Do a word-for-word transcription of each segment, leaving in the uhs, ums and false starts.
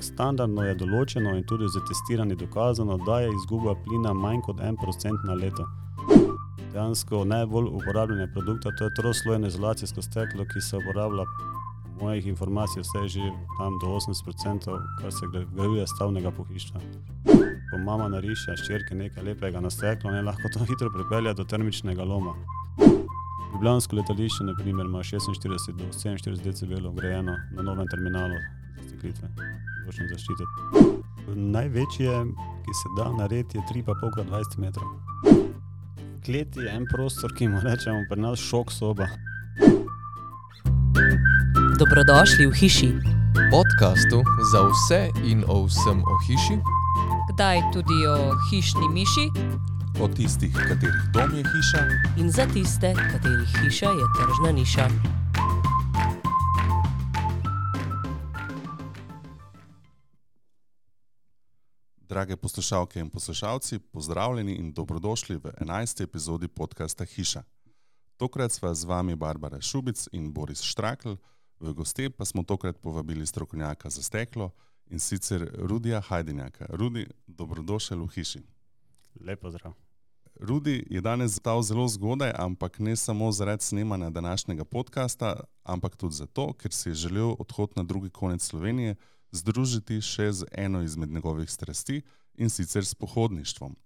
Standardno je določeno in tudi za testiranje dokazano, da je izguba plina manj kot en procent na leto. Dejansko najbolj uporabljene produkta, to je troslojno izolacijsko steklo, ki se uporablja po mojih informacijah vse že tam do osemdeset procentov, kar se vgrajuje stavnega pohištva. Ko mama nariše hčerki nekaj lepega na steklo, ne lahko to hitro pripelje do termičnega loma. Ljubljansko letališče, na primer, ima šestinštirideset do sedeminštirideset decibelov vgrajeno na novem terminalu za steklitve, zvočne zaščite. Največje, ki se da narediti, je tri pa pol krat dvajset metrov. Klet je en prostor, ki mu rečemo pri nas šok soba. Dobrodošli v hiši. Podcastu za vse in o vsem o hiši. Kdaj tudi o hišni miši. O tistih, katerih dom je hiša. In za tiste, katerih hiša je tržna niša. Drage poslušalke in poslušalci, pozdravljeni in dobrodošli v enajsti epizodi podcasta Hiša. Tokrat sva z vami Barbara Šubic in Boris Štrakl, v goste pa smo tokrat povabili strokovnjaka za steklo in sicer Rudija Hajdinjaka. Rudi, dobrodošel v hiši. Lep pozdrav. Rudi je danes stal zelo zgodaj, ampak ne samo zaradi snemanja današnjega podcasta, ampak tudi zato, ker si je želel odhod na drugi konec Slovenije združiti še z eno izmed njegovih strasti in sicer s pohodništvom.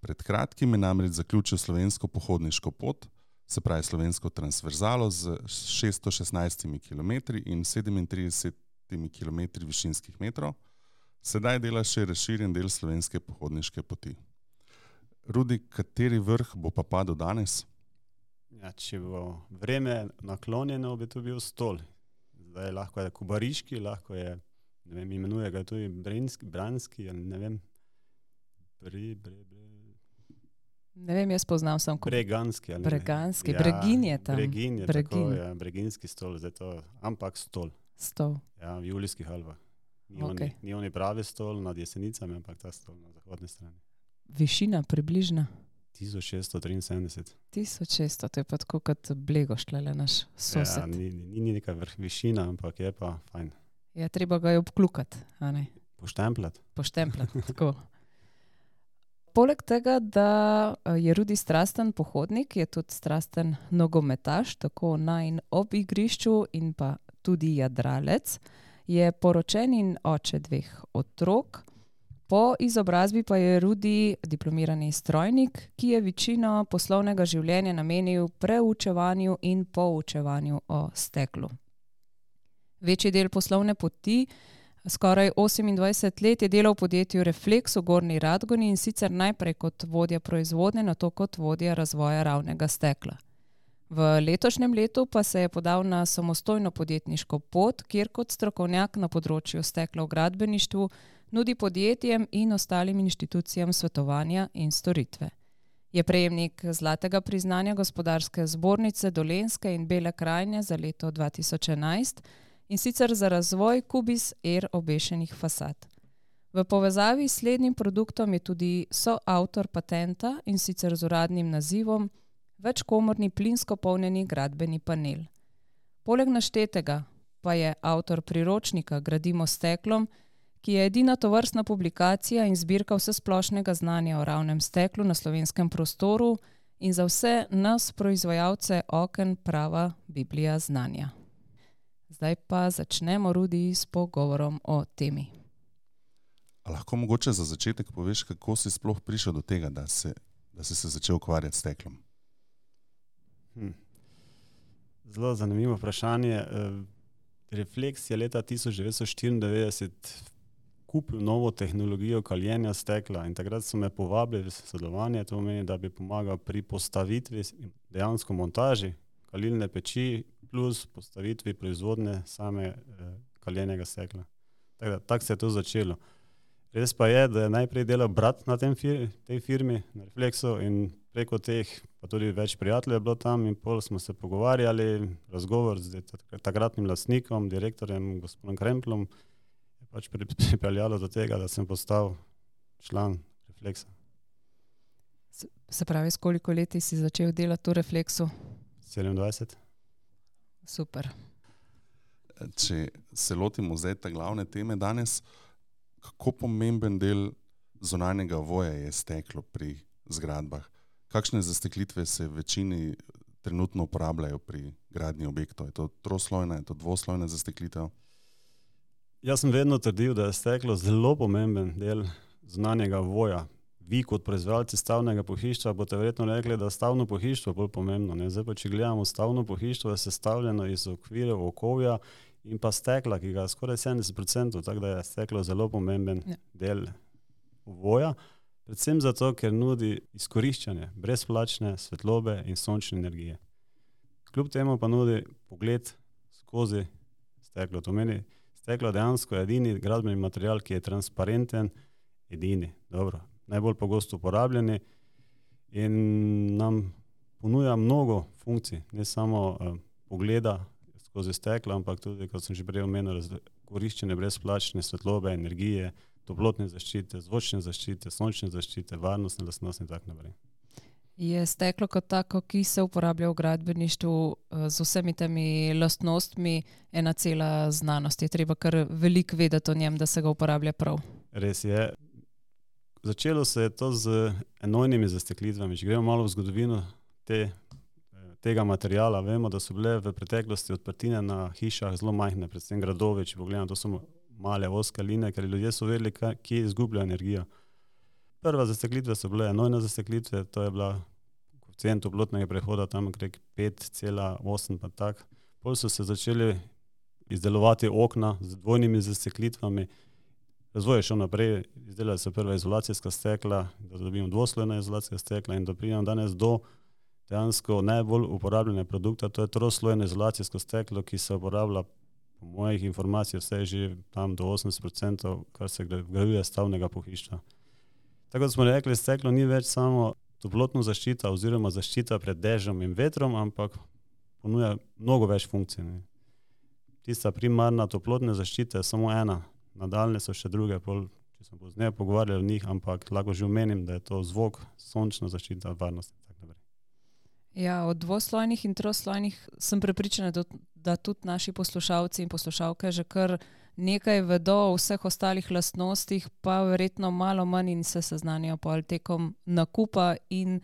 Pred kratkim je namreč zaključil slovensko pohodniško pot, se pravi slovensko transverzalo z šeststo šestnajstimi kilometri in sedemintridesetimi kilometri višinskih metrov. Sedaj dela še razširjen del slovenske pohodniške poti. Rudi, kateri vrh bo pa padel danes? Ja, če bo vreme naklonjeno, bi to bil Stol. Zdaj lahko je Kubariški, lahko je, ne vem, imenuje ga tudi Brinski, Branski, ne vem, Bri, Bre, Bre. Ne vem, jaz poznam sem ko... Breganski. Ali Breganski, ja, Bregin je tam. Bregin je Bregin. tako, ja, Breginski stol, zdaj to, ampak Stol. Stol. Ja, v Julijskih Alpah. Ni, Okay. oni, ni oni pravi stol nad Jesenicami, ampak ta stol na zahodni strani. Višina približna? tisoč šeststo triinsedemdeset. tisoč šeststo, to je pa tako kot Blegoš, tlele naš sosed. Ja, ni, ni, ni neka vrh višina, ampak je pa fajn. Ja, treba ga je obklukati, a ne? Poštempljati. Poštempljati, tako. Poleg tega, da je Rudi strasten pohodnik, je tudi strasten nogometaš, tako na in ob igrišču in pa tudi jadralec. Je poročen in oče dveh otrok. Po izobrazbi pa je Rudi diplomirani strojnik, ki je večino poslovnega življenja namenil preučevanju in poučevanju o steklu. Večji del poslovne poti, skoraj osemindvajset let, je delal v podjetju Refleks v Gornji Radgoni in sicer najprej kot vodja proizvodnje, nato kot vodja razvoja ravnega stekla. V letošnjem letu pa se je podal na samostojno podjetniško pot, kjer kot strokovnjak na področju stekla v gradbeništvu nudi podjetjem in ostalim inštitucijam svetovanja in storitve. Je prejemnik zlatega priznanja Gospodarske zbornice Dolenjske in Bele krajine za leto dva tisoč enajst in sicer za razvoj Kubis Air obešenih fasad. V povezavi s slednjim produktom je tudi soavtor patenta in sicer z uradnim nazivom večkomorni plinsko polnjeni gradbeni panel. Poleg naštetega pa je avtor priročnika Gradimo s steklom, ki je edina tovrstna publikacija in zbirka vsesplošnega znanja o ravnem steklu na slovenskem prostoru in za vse nas proizvajalce oken prava Biblija znanja. Zdaj pa začnemo, Rudi, s pogovorom o temi. A lahko mogoče za začetek poveš, kako si sploh prišel do tega, da, se, da si se začel ukvarjati s steklom? Hm. Zelo zanimivo vprašanje. Refleks je leta tisoč devetsto štiriindevetdeset kupil novo tehnologijo kaljenja stekla in takrat so me povabili v sodelovanje, to pomeni, da bi pomagal pri postavitvi dejansko montaži kalilne peči plus postavitvi proizvodne same eh, kaljenega stekla. Tako tak se je to začelo. Res pa je, da je najprej delal brat na tem fir, tej firmi, na Refleksu, in preko teh pa tudi več prijateljev je bilo tam in pol smo se pogovarjali, razgovor z takratnim lastnikom, direktorjem, gospodom Kremplom, je pač pripeljalo do tega, da sem postal član Refleksa. Se pravi, s koliko leti si začel delati v Refleksu? sedemindvajset. Super. Če se lotimo zdaj te glavne teme danes, kako pomemben del zunanjega voja je steklo pri zgradbah? Kakšne zasteklitve se v večini trenutno uporabljajo pri gradnji objektov? Je to troslojna, je to dvoslojna zasteklitev? Jaz sem vedno trdil, da je steklo zelo pomemben del zunanjega voja. Vi kot proizvajalci stavnega pohištva boste verjetno rekli, da je stavno pohištvo bolj pomembno. Ne? Zdaj pa, če gledamo stavno pohištvo, je sestavljeno iz okvirov, okovja in pa stekla, ki ga je skoraj sedemdeset procentov, tako da je steklo zelo pomemben ja. del voja. Predvsem zato, ker nudi izkoriščanje brezplačne svetlobe in sončne energije. Kljub temu pa nudi pogled skozi steklo. To meni, steklo dejansko je edini gradbeni material, ki je transparenten, edini, dobro, najbolj pogosto uporabljeni in nam ponuja mnogo funkcij, ne samo uh, pogleda skozi steklo, ampak tudi, kot sem že prej omenil, koriščenje brezplačne svetlobe, energije, toplotne zaščite, zvočne zaščite, sončne zaščite, varnostne lastnosti in tako naprej. Je steklo kot tako, ki se uporablja v gradbeništvu z vsemi temi lastnostmi, ena cela znanost. Je treba kar veliko vedeti o njem, da se ga uporablja prav. Res je. Začelo se je to z enojnimi zasteklitvami. Če gremo malo v zgodovino te, tega materijala, vemo, da so bile v preteklosti odprtine na hišah zelo majhne, predvsem gradovi, če pogledamo, to so male ozke linije, ker ljudje so vedeli, kje izgubljajo energijo. Prva zasteklitve so bile enojne zasteklitve, to je bila koeficient toplotnega prehoda tam okrog pet cela osem pa tak. Potem so se začeli izdelovati okna z dvojnimi zasteklitvami. Razvoj je šel naprej, izdelali so prva izolacijska stekla, da dobimo dvoslojna izolacijska stekla in da pridemo danes do dejansko najbolj uporabljene produkta, to je troslojno izolacijsko steklo, ki se uporablja po mojih informacijah vse že tam do osemdeset procentov, kar se vgrajuje stavnega pohištva. Tako da smo rekli, steklo ni več samo toplotna zaščita oziroma zaščita pred dežjem in vetrom, ampak ponuja mnogo več funkcij. Ne. Tista primarna toplotna zaščita je samo ena, nadaljne so še druge, pol, če smo pozneje pogovarjali o njih, ampak lahko že omenim, da je to zvok, sončna zaščita, varnost. Ja, od dvoslojnih in troslojnih sem prepričana, da, da tudi naši poslušalci in poslušalke že kar nekaj vedo o vseh ostalih lastnostih, pa verjetno malo manj in se seznanijo pol tekom nakupa in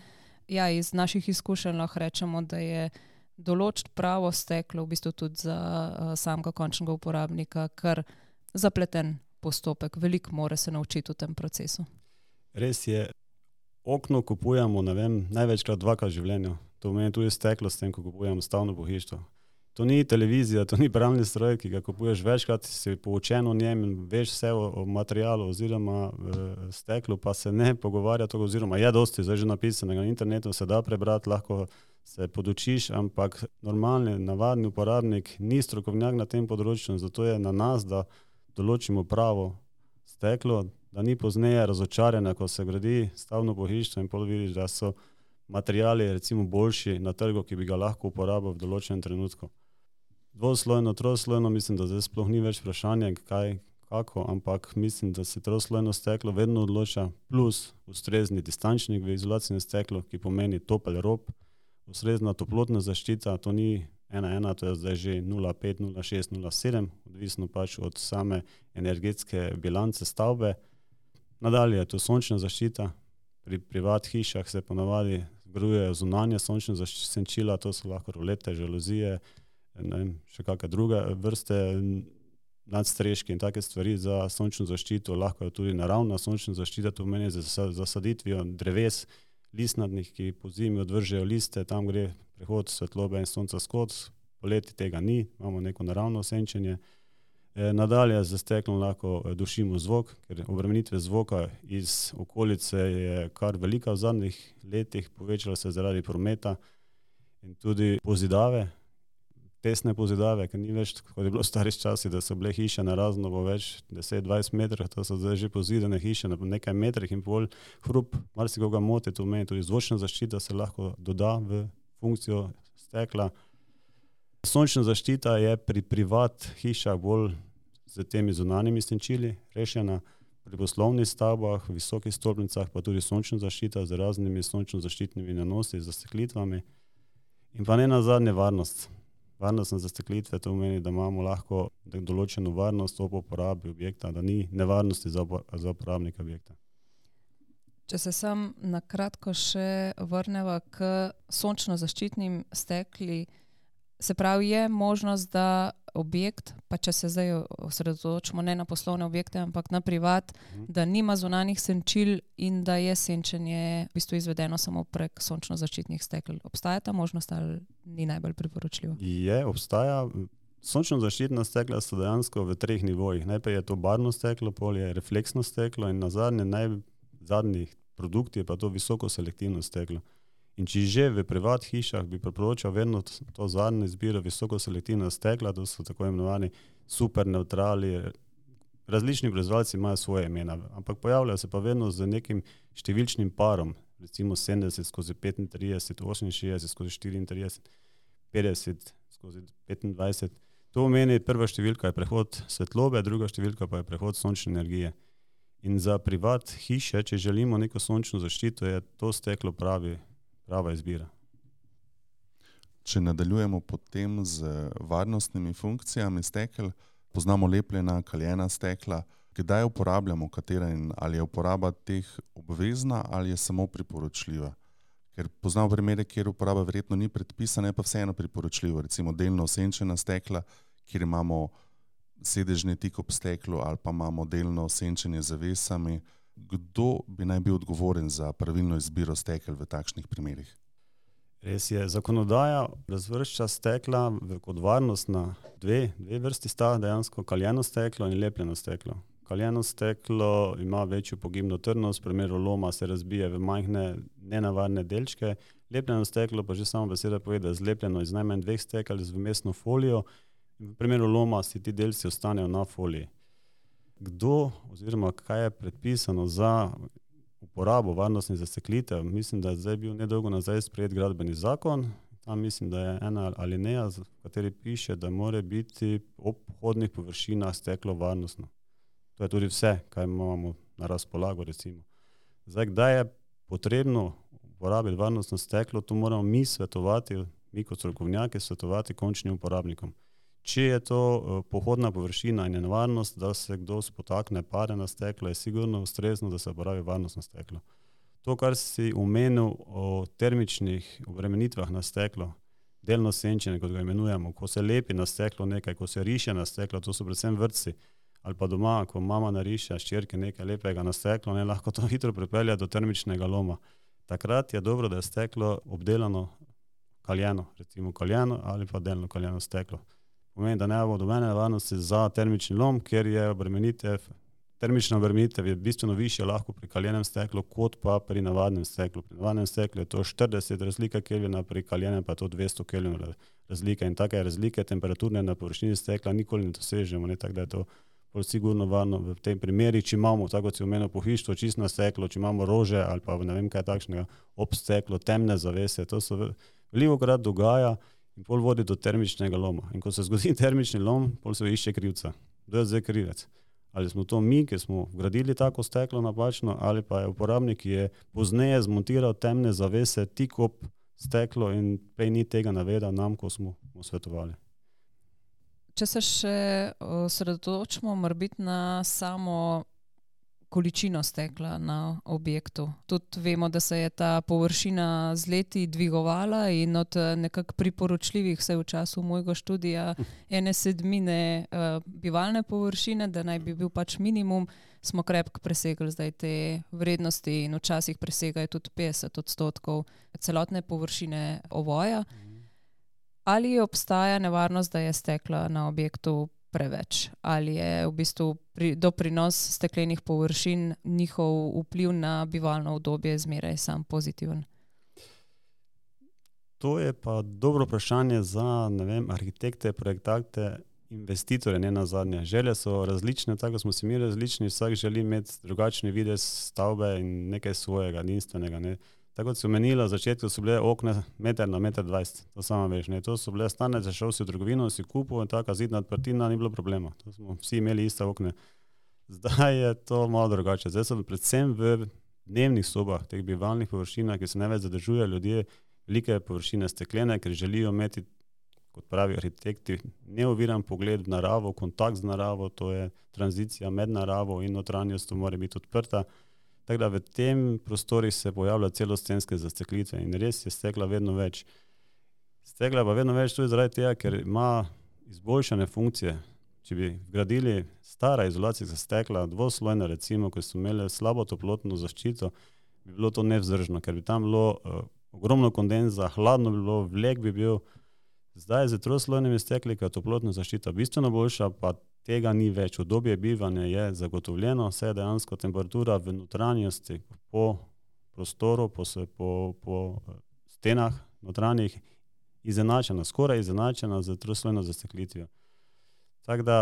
ja, iz naših izkušenj lahko rečemo, da je določiti pravo steklo v bistvu tudi za uh, samega končnega uporabnika kar zapleten postopek. Veliko mora se naučiti v tem procesu. Res je, okno kupujemo, ne vem, največkrat dvakrat v življenju. To pomeni tudi steklo s tem, ko kupujemo stavno pohištvo. To ni televizija, to ni pralni stroj, ki ga kupuješ večkrat, si poučen o njem in veš vse o, o materialu oziroma e, steklu, pa se ne pogovarja to, oziroma je dosti zdaj že napisanega na internetu, se da prebrati, lahko se podučiš, ampak normalni, navadni uporabnik ni strokovnjak na tem področju, zato je na nas, da določimo pravo steklo, da ni pozneje razočarjena, ko se gradi stavno pohištvo in pol vidiš, da so materiali recimo boljši na trgu, ki bi ga lahko uporabil v določenem trenutku. Dvoslojno, troslojno, mislim, da zdaj sploh ni več vprašanje, kaj, kako, ampak mislim, da se troslojno steklo vedno odloča, plus ustrezni distančnik v izolacijnem steklu, ki pomeni topel rob, ustrezna toplotna zaščita, to ni ena ena, to je zdaj že nula pet, nula šest, nula sedem, odvisno pač od same energetske bilance stavbe. Nadalje je to sončna zaščita. Pri privat hišah se ponavadi vgrajujejo zunanje sončne senčila, to so lahko rolete, žaluzije, ne vem, še kakšne druge vrste nadstreški in take stvari za sončno zaščito. Lahko je tudi naravna sončna zaščita, to pomeni za zasaditvijo dreves listnatnih, ki po zimi odvržejo liste, tam gre prehod svetlobe in sonca skozi, poleti tega ni, imamo neko naravno senčenje. E, nadalje z steklom lahko dušimo zvok, ker obremenitve zvoka iz okolice je kar velika v zadnjih letih, povečala se zaradi prometa in tudi pozidave, tesne pozidave, ker ni več, kot je bilo v starih časih, da so bile hiše na razno po več deset do dvajset metrov, to so zdaj že pozidane hiše na nekaj metrih in pol hrup, marsikoga moti, to meni tudi zvočna zaščita se lahko doda v funkcijo stekla. Sončna zaščita je pri privat hišah bolj z temi zunanjimi senčili rešena, pri poslovnih stavbah, visokih stolpnicah pa tudi sončna zaščita z raznimi sončno zaščitnimi nanosi, z zasteklitvami in pa ne nazadnje varnost. Varnostne zasteklitve to pomeni, da imamo lahko določeno varnost ob uporabi objekta, da ni nevarnosti za, za uporabnika objekta. Če se sam na kratko še vrneva k sončno zaščitnim stekli, se pravi, je možnost, da objekt, pa če se zdaj osredotočimo ne na poslovne objekte, ampak na privat, mm. da nima zunanjih senčil in da je senčenje v bistvu izvedeno samo prek sončno zaščitnih stekel. Obstaja ta možnost ali ni najbolj priporočljivo? Je, obstaja. Sončno zaščitna stekla so dejansko v treh nivojih. Najprej je to barvno steklo, pol je refleksno steklo in na zadnje, najzadnji produkt je pa to visoko selektivno steklo. In če že v privat hišah bi priporočal vedno to zadnje izbiro visoko selektivna stekla, to so tako imenovani super neutrali, različni proizvajalci imajo svoje imena, ampak pojavljajo se pa vedno z nekim številčnim parom, recimo sedemdeset skozi petintrideset, oseminšestdeset skozi štiriintrideset, petdeset skozi petindvajset. To pomeni, prva številka je prehod svetlobe, druga številka pa je prehod sončne energije. In za privat hiše, če želimo neko sončno zaščito, je to steklo pravi prava izbira. Če nadaljujemo potem z varnostnimi funkcijami stekel, poznamo lepljena, kaljena stekla. Kdaj uporabljamo katera in ali je uporaba teh obvezna ali je samo priporočljiva? Ker poznamo primere, kjer uporaba verjetno ni predpisana, je pa vseeno priporočljivo. Recimo delno osenčena stekla, kjer imamo sedežni tik ob steklu ali pa imamo delno osenčenje z zavesami. Kdo bi naj bil odgovoren za pravilno izbiro stekel v takšnih primerih? Res je, zakonodaja razvršča stekla v, kot varnostna dve, dve vrsti sta, dejansko kaljeno steklo in lepljeno steklo. Kaljeno steklo ima večjo pogibno trdnost, v primeru loma se razbije v majhne nenavadne delčke, lepljeno steklo pa že samo beseda pove, da je zlepljeno iz najmanj dveh stekel z vmesno folijo in v primeru loma si ti delci ostanejo na foliji. Kdo oziroma kaj je predpisano za uporabo varnostnih zasteklitev? Mislim, da je zdaj bil nedolgo nazaj sprejet gradbeni zakon. Tam mislim, da je ena alineja, v kateri piše, da mora biti ob vhodnih površinah steklo varnostno. To je tudi vse, kaj imamo na razpolago, recimo. Zdaj, kdaj je potrebno uporabiti varnostno steklo, to moramo mi svetovati, mi kot strokovnjaki svetovati končnim uporabnikom. Če je to pohodna površina in je nevarnost, da se kdo spotakne, pade na steklo, je sigurno ustrezno, da se uporabi varnostno steklo. To, kar si omenil o termičnih obremenitvah na steklo, delno senčenje, kot ga imenujemo, ko se lepi na steklo nekaj, ko se riše na steklo, to so predvsem vrtci, ali pa doma, ko mama nariše ščerke nekaj lepega na steklo, ne lahko to hitro pripelje do termičnega loma. Takrat je dobro, da je steklo obdelano kaljeno, recimo kaljeno ali pa delno kaljeno steklo. Pomeni, da ne bo dobene nevarnosti za termični lom, ker je obremenitev, termična obremenitev je bistveno višja lahko pri kaljenem steklu, kot pa pri navadnem steklu. Pri navadnem steklu je to štirideset razlika kelvina, pri kaljenem pa je to dvesto kelvinov razlika in take razlike temperaturne na površini stekla nikoli ne dosežemo, ne, tako da je to bolj sigurno varno v tem primeri, če imamo, tako kot si omenil, pohištvo, čisto steklo, če imamo rože ali pa ne vem kaj takšnega, ob steklo, temne zavese, to se velikokrat dogaja in pol vodi do termičnega loma. In ko se zgodi termični lom, pol se išče krivca. Kdo je zdaj krivec? Ali smo to mi, ki smo vgradili tako steklo napačno, ali pa je uporabnik, ki je pozneje zmontiral temne zavese tik ob steklo in prej ni tega navedel nam, ko smo mu svetovali. Če se še osredotočimo morbiti na samo količino stekla na objektu. Tudi vemo, da se je ta površina z leti dvigovala in od nekako priporočljivih, vse v času mojega študija, ene sedmine uh, bivalne površine, da naj bi bil pač minimum, smo krepko presegli zdaj te vrednosti in včasih presegajo tudi petdeset odstotkov celotne površine ovoja. Ali obstaja nevarnost, da je stekla na objektu preveč? Ali je v bistvu pri, doprinos steklenih površin, njihov vpliv na bivalno obdobje zmeraj sam pozitiven? To je pa dobro vprašanje za, ne vem, arhitekte, projektante, investitorje, ne nazadnje. Želje so različne, tako smo si mi različni, vsak želi imeti drugačni videz stavbe in nekaj svojega, edinstvenega, ne. Tako kot si omenila, v začetku so bile okne meter na meter dvajset, to samo veš, ne, to so bile stane, zašel si v trgovino, si kupil in taka zidna odprtina, ni bilo problema, to smo vsi imeli iste okne. Zdaj je to malo drugače, zdaj so predvsem v dnevnih sobah, teh bivalnih površinah, ki se največ zadržujejo ljudje, velike površine steklene, ker želijo imeti kot pravi arhitekti, neoviran pogled v naravo, kontakt z naravo, to je tranzicija med naravo in notranjostjo mora biti odprta. Tako da v tem prostorih se pojavlja celostenske zasteklitve in res je stekla vedno več. Stekla pa vedno več tudi zaradi tega, ker ima izboljšane funkcije. Če bi vgradili stara izolacijska stekla, dvoslojna recimo, ko so imeli slabo toplotno zaščito, bi bilo to nevzdržno, ker bi tam bilo uh, ogromno kondenza, hladno bi bilo, vlek bi bil. Zdaj z troslojnimi stekli, ker je toplotna zaščita bistveno boljša, pa tega ni več. Obdobje bivanja je zagotovljeno, vse je dejansko temperatura v notranjosti po prostoru, po, po, po stenah notranjih izenačena, skoraj izenačena z troslojno zasteklitvijo. Tako da,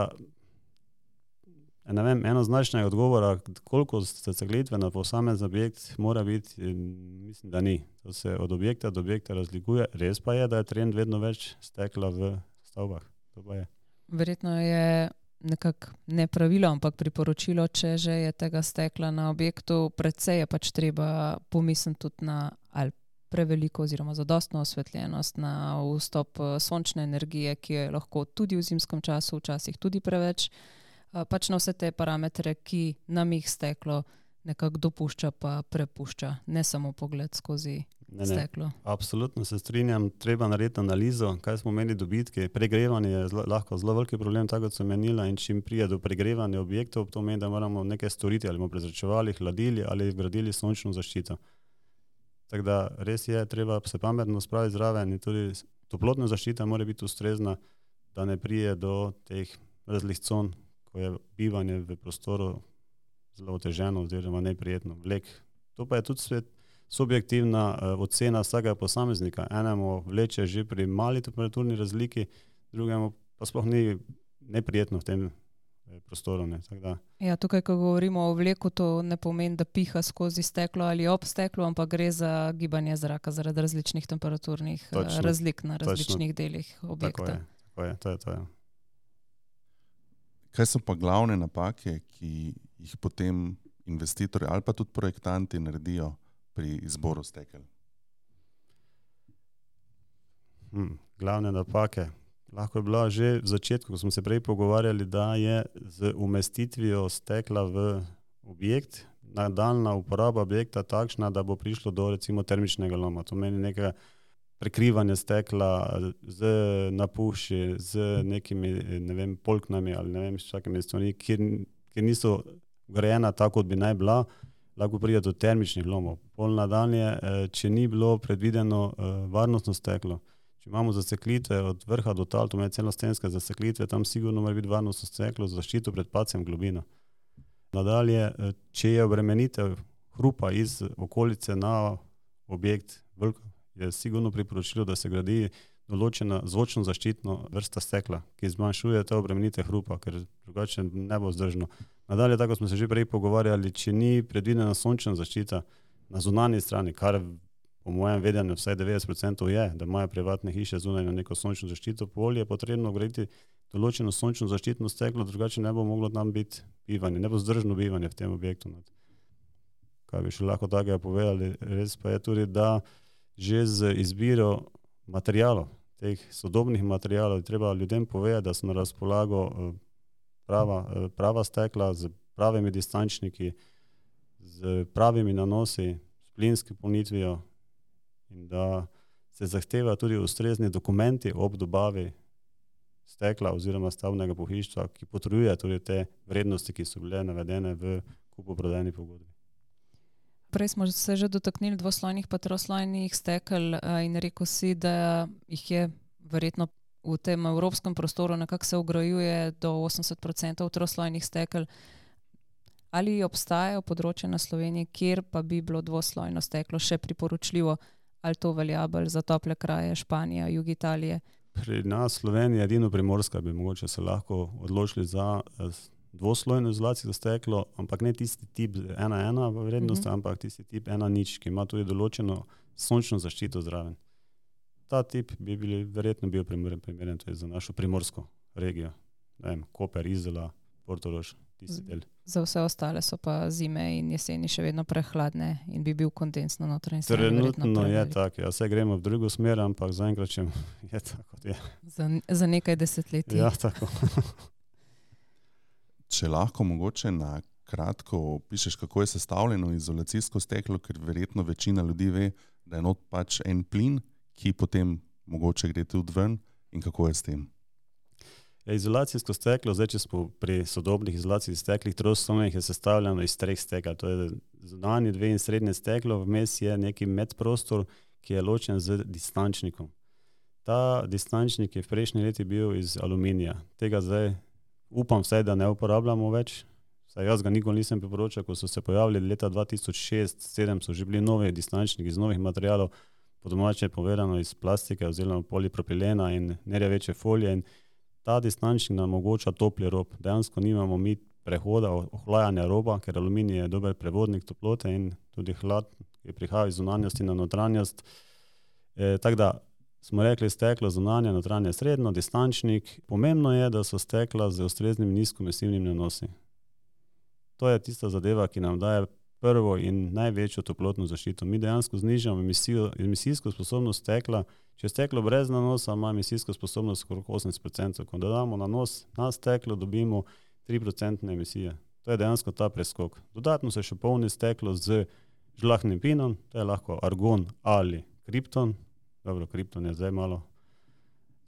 ne vem, enoznačnega odgovora, koliko zasteklitve na posamezen objekt mora biti, mislim, da ni. To se od objekta do objekta razlikuje. Res pa je, da je trend vedno več stekla v stavbah. To pa je. Verjetno je nekako ne pravilo, ampak priporočilo, če že je tega stekla na objektu, precej je pač treba pomisliti tudi na ali preveliko oziroma zadostno osvetljenost, na vstop sončne energije, ki je lahko tudi v zimskem času, včasih tudi preveč, pač na vse te parametre, ki nam jih steklo nekako dopušča pa prepušča, ne samo pogled skozi ne, steklo. Ne, absolutno se strinjam, treba narediti analizo, kaj smo imeli dobitke. Pregrevanje je zlo, lahko zelo veliki problem, tako kot sem menila, in čim prije do pregrevanja objektov, to meni, da moramo nekaj storiti, ali bomo prezračevali, hladili ali vgradili sončno zaščito. Tako da res je, treba se pametno spraviti zraven in tudi toplotna zaščita mora biti ustrezna, da ne prije do teh razlih con, ko je bivanje v prostoru zelo oteženo oziroma neprijetno. Vlek. To pa je tudi svet, subjektivna uh, ocena vsakega posameznika. Enemu vleče že pri mali temperaturni razliki, drugemu pa sploh ni neprijetno v tem prostoru. Ne. Tak da. Ja, tukaj, ko govorimo o vleku, to ne pomeni, da piha skozi steklo ali ob steklu, ampak gre za gibanje zraka zaradi različnih temperaturnih točno, razlik na različnih točno, delih objekta. Tako je, tako je, to je to. Je. Kaj so pa glavne napake, ki jih potem investitorji ali pa tudi projektanti naredijo pri izboru stekel? Hmm, glavne napake. Lahko je bila že v začetku, ko smo se prej pogovarjali, da je z umestitvijo stekla v objekt, nadaljna uporaba objekta takšna, da bo prišlo do recimo termičnega loma. To meni nekaj prekrivanja stekla z napuši, z nekimi, ne vem, polknami ali ne vem, s čakimi stvarmi, kjer, kjer niso grejena tako, kot bi naj bila, lahko pride do termičnih lomov. Pol nadaljnje, če ni bilo predvideno varnostno steklo, če imamo zasteklitve od vrha do tal, to je celostenske zasteklitve, tam sigurno mora biti varnostno steklo za zaščito pred padcem globino. Nadalje, če je obremenitev hrupa iz okolice na objekt veliko, je sigurno priporočilo, da se gradi določena zvočno zaščitno vrsta stekla, ki zmanjšuje te obremenite hrupa, ker drugače ne bo vzdržno. Nadalje, tako smo se že prej pogovarjali, če ni predvidena sončna zaščita na zunanji strani, kar po mojem vedenju vsaj devetdeset procentov je, da imajo privatne hiše zunaj na neko sončno zaščito, polje je potrebno graditi določeno sončno zaščitno steklo, drugače ne bo moglo tam biti bivanje, ne bo vzdržno bivanje v tem objektu. Kaj bi še lahko takega povedali, res pa je tudi, da že z izbiro materijalov, teh sodobnih materijalov, treba ljudem povedati, da so na razpolago prava, prava stekla z pravimi distančniki, z pravimi nanosi, s plinsko polnitvijo in da se zahteva tudi ustrezni dokumenti ob dobavi stekla oziroma stavbnega pohištva, ki potrjuje tudi te vrednosti, ki so bile navedene v kupoprodajni pogodbi. Prej smo se že dotaknili dvoslojnih pa troslojnih stekel in rekel si, da jih je verjetno v tem evropskem prostoru nekako se ugrajuje do osemdeset procentov troslojnih stekel. Ali obstajajo področje na Sloveniji, kjer pa bi bilo dvoslojno steklo še priporočljivo, ali to velja bolj za tople kraje, Španija, jug Italije? Pri nas Sloveniji edino Primorska bi mogoče se lahko odločili za dvoslojno izolacijsko steklo, ampak ne tisti tip ena ena vrednost, uh-huh. ampak tisti tip ena nič, ki ima tudi določeno sončno zaščito zraven. Ta tip bi bili, verjetno bil primeren, primeren tudi za našo primorsko regijo. Ne vem, Koper, Izola, Portorož, tisti del. Za vse ostale so pa zime in jeseni še vedno prehladne in bi bil kondens na notranji strani verjetno Trenutno je prevelik. tako, ja, vse gremo v drugo smer, ampak zaenkrat še je tako, kot je. Za, za nekaj desetletij. Ja, tako. Če lahko mogoče na kratko opišeš, kako je sestavljeno izolacijsko steklo, ker verjetno večina ljudi ve, da je not pač en plin, ki potem mogoče gre tudi ven in kako je s tem. Ja, izolacijsko steklo, zdaj če smo pri sodobnih izolacijskih steklih, troslovnih je sestavljeno iz treh stekel. To je zunanji dve in srednje steklo, vmes je neki medprostor, ki je ločen z distančnikom. Ta distančnik je v prejšnji leti bil iz aluminija. Tega zdaj upam vsaj, da ne uporabljamo več. Saj jaz ga nikoli nisem priporočal, ko so se pojavili leta dva tisoč šest sedem so že bili novi distančniki iz novih materialov, po domače povedano iz plastike oziroma polipropilena in nerjaveče folije. In ta distančnik nam omogoča topli rob. Dejansko nimamo mi prehoda ohlajanja roba, ker aluminij je dober prevodnik toplote in tudi hlad, ki prihaja iz zunanjosti na notranjost. E, tako da smo rekli steklo zunanje, notranje, srednjo, distančnik. Pomembno je, da so stekla z ustreznim nizkoemisivnim nanosi. To je tista zadeva, ki nam daje prvo in največjo toplotno zaščito. Mi dejansko znižamo emisijo, emisijsko sposobnost stekla. Če je steklo brez nanosa, ima emisijsko sposobnost okrog osemdeset procentov. Ko dodamo nanos na steklo, dobimo tri procentne emisije. To je dejansko ta preskok. Dodatno se še polni steklo z žlahtnim plinom, to je lahko argon ali kripton. Dobro, kripton je zdaj malo,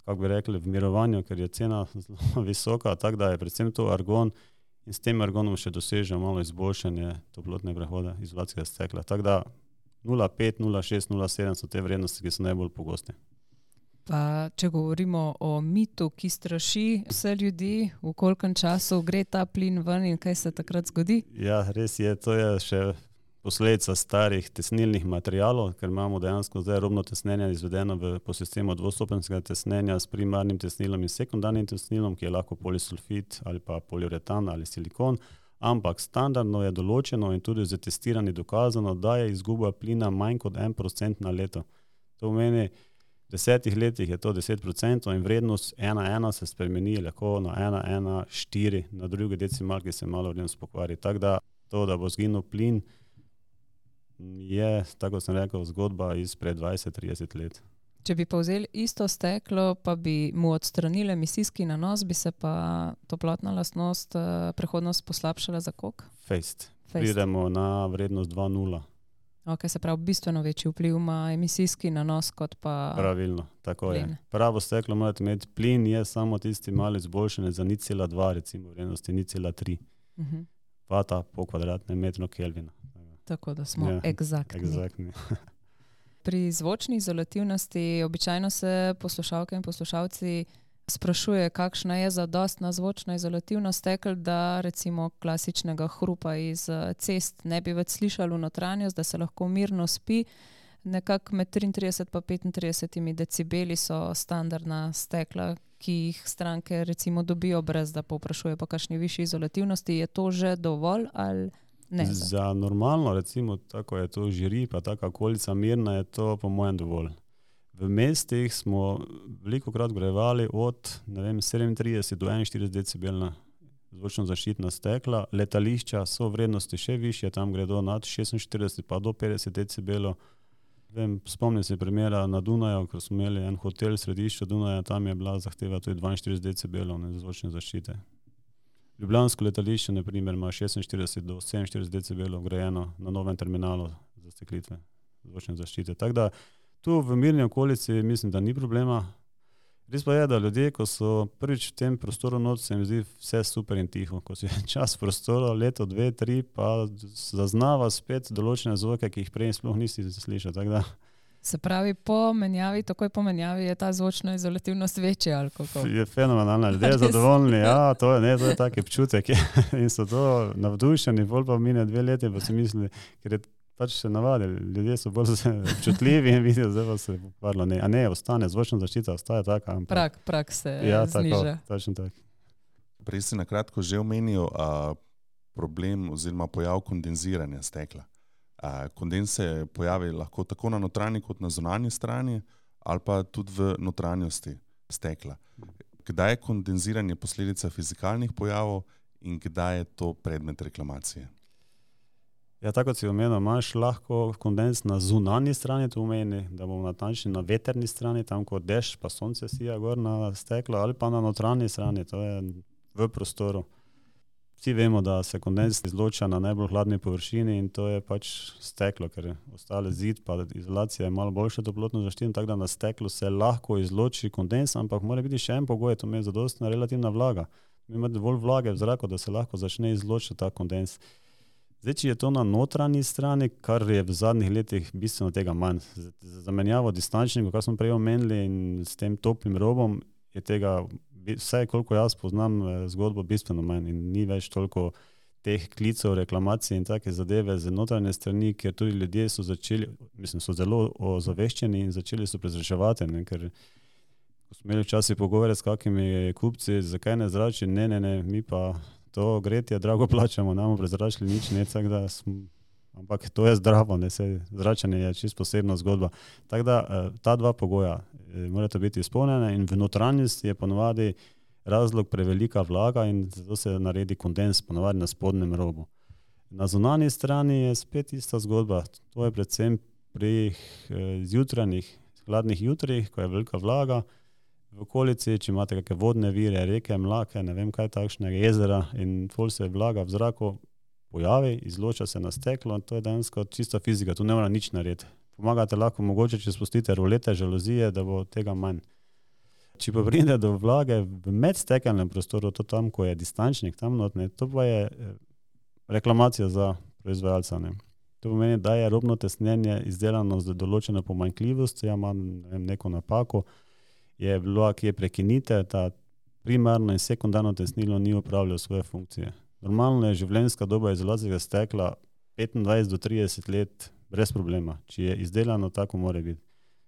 kako bi rekli, v mirovanju, ker je cena zelo visoka, tako da je predvsem to argon. In s tem argonom še dosežemo malo izboljšanje toplotne prehoda izolacijskega stekla. Tako da nula pet, nula šest, nula sedem so te vrednosti, ki so najbolj pogoste. Pa če govorimo o mitu, ki straši vse ljudi, v kolikem času gre ta plin ven in kaj se takrat zgodi? Ja, res je, to je še posledica starih tesnilnih materialov, ker imamo dejansko zdaj robno tesnenje izvedeno v, po sistemu dvostopenjskega tesnenja s primarnim tesnilom in sekundarnim tesnilom, ki je lahko polisulfit ali pa poliuretan ali silikon, ampak standardno je določeno in tudi z testiranji dokazano, da je izguba plina manj kot en procent na leto. To pomeni, v desetih letih je to deset procentov in vrednost ena ena se spremeni lahko na ena ena štiri, na drugi decimalki se malo vrednost pokvari. Tako da to, da bo zginil plin, je, tako sem rekel, zgodba izpred dvajset trideset let. Če bi pa vzeli isto steklo, pa bi mu odstranili emisijski nanos, bi se pa toplotna lastnost, prehodnost poslabšala za koliko? Fejst. Pridemo na vrednost dva nula. Ok, se pravi, bistveno večji vpliv ima emisijski nanos kot pa Pravilno, tako plin. je. Pravo steklo morate imeti, plin je samo tisti malo izboljšanje za nič cela dva, recimo vrednosti nič cela tri. Uh-huh. Vata po kvadratnem metru Kelvina. Tako da smo Ja, egzaktni. Egzaktni. Pri zvočni izolativnosti običajno se poslušalke in poslušalci sprašuje, kakšna je zadostna zvočna izolativnost stekel, da recimo klasičnega hrupa iz cest ne bi več slišali v notranjost, da se lahko mirno spi. Nekako med triintrideset pa petintrideset decibeli so standardna stekla, ki jih stranke recimo dobijo brez da povprašuje po kakšni višji izolativnosti. Je to že dovolj ali ne? Za normalno, recimo, tako je to žiri, pa taka okolica mirna, je to po mojem dovolj. V mestih smo velikokrat grevali od, ne vem, sedemintrideset do enainštirideset decibelna zvočno zaščitna stekla. Letališča so vrednosti še višje, tam gredo nad šestinštirideset pa do petdeset decibelov. Vem, spomnim se primera na Dunaju, ko smo imeli en hotel v središču Dunaja, tam je bila zahteva tudi dvainštirideset decibelov zvočne zaščite. Ljubljansko letališče, na primer, ima šestinštirideset do sedeminštirideset decibelov grajeno na novem terminalu za steklitve zvočne zaščite. Tako da tu v mirni okolici mislim, da ni problema. Res pa je, da ljudje, ko so prvič v tem prostoru noč, se mi zdi vse super in tiho. Ko si čas prostora, leto, dve, tri, pa zaznava spet določene zvoke, ki jih prej sploh nisi slišal. Tako da Se pravi, po menjavi, takoj po menjavi je ta zvočna izolativnost večja ali kako? je fenomenalna, ljudje zadovoljni, ja, to je, ne, to je tak občutek in so to navdušeni, bolj pa mine dve leti, pa si misli, ker je pač se navadili, ljudje so bolj občutljivi in vidijo, zdaj pa se pokvarilo, ne, a ne, ostane, zvočna zaščita ostaja taka. Ampak, Prak, prak se ja, zniža. tako, točno tako. Prej si nakratko že omenil a, problem oziroma pojav kondenziranja stekla. A, kondens se pojavi lahko tako na notranji kot na zunanji strani ali pa tudi v notranjosti stekla. Kdaj je kondenziranje posledica fizikalnih pojavov in kdaj je to predmet reklamacije? Ja, tako kot si omenil, imaš lahko kondens na zunanji strani, to pomeni, da bomo natančni na veterni strani, tam ko dež pa sonce sija gor na steklo, ali pa na notranji strani, to je v prostoru. Vsi vemo, da se kondens izloča na najbolj hladni površini in to je pač steklo, ker ostale zid pa izolacija je malo boljše toplotno zaščiteno, tako da na steklu se lahko izloči kondens, ampak mora biti še en pogoj, to je zadostna relativna vlaga. Ima dovolj vlage v zraku, da se lahko začne izločiti ta kondens. Zdaj, če je to na notranji strani, kar je v zadnjih letih bistveno tega manj. Za zamenjavo distančnikov, kar smo prej omenili, in s tem toplim robom je tega, vsaj koliko jaz poznam zgodbo, bistveno manj in ni več toliko teh klicov, reklamacij in take zadeve z notranje strani, ker tudi ljudje so začeli, mislim, so zelo ozaveščeni in začeli so prezračevati, ne, ker ko smo imeli včasih pogovore s kakimi kupci, zakaj ne zrači, ne, ne, ne, mi pa to gretje drago plačamo, namo prezračili nič, ne, tako da smo, ampak to je zdravo, ne, se zračanje je čisto posebna zgodba. Tako da ta dva pogoja morata biti izpolnjena in v notranjosti je ponovadi razlog prevelika vlaga in zato se naredi kondens, ponovadi na spodnjem robu. Na zunanji strani je spet ista zgodba, to je predvsem pri zjutranjih, hladnih jutrih, ko je velika vlaga, v okolici, če imate kakšne vodne vire, reke, mlake, ne vem kaj takšnega, jezera in ful se vlaga v zraku pojavi, izloča se na steklo in to je dejansko čista fizika, tu ne mora nič narediti. Pomagate lahko mogoče, če spustite rolete, žaluzije, da bo tega manj. Če pa pride do vlage v medstekelnem prostoru, to tam, ko je distančnik, tam notne, to pa je reklamacija za proizvajalca, ne. To pomeni, da je robno tesnjenje izdelano z določeno pomanjkljivost, ja ima ne vem, neko napako, je bilo, ki je prekinite, ta primarno in sekundarno tesnilo ni upravljalo svoje funkcije. Normalno je življenjska doba izolacijskega stekla petindvajset do trideset let brez problema, če je izdelano tako mora biti.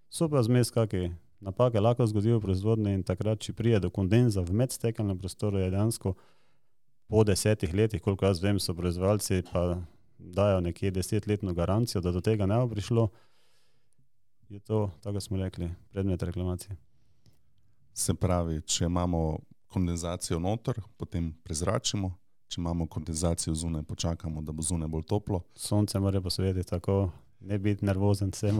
So pa zmes kakšne napake lahko zgodijo v proizvodnji in takrat, če pride do kondenza v medstekelnem prostoru, je dejansko po desetih letih, koliko jaz vem, so proizvajalci pa dajo nekje desetletno garancijo, da do tega ne bo prišlo, je to, tako smo rekli, predmet reklamacije. Se pravi, če imamo kondenzacijo noter, potem prezračimo, če imamo kondenzacijo zunaj, počakamo, da bo zunaj bolj toplo. Sonce mora posvetiti, tako ne biti nervozen vsem.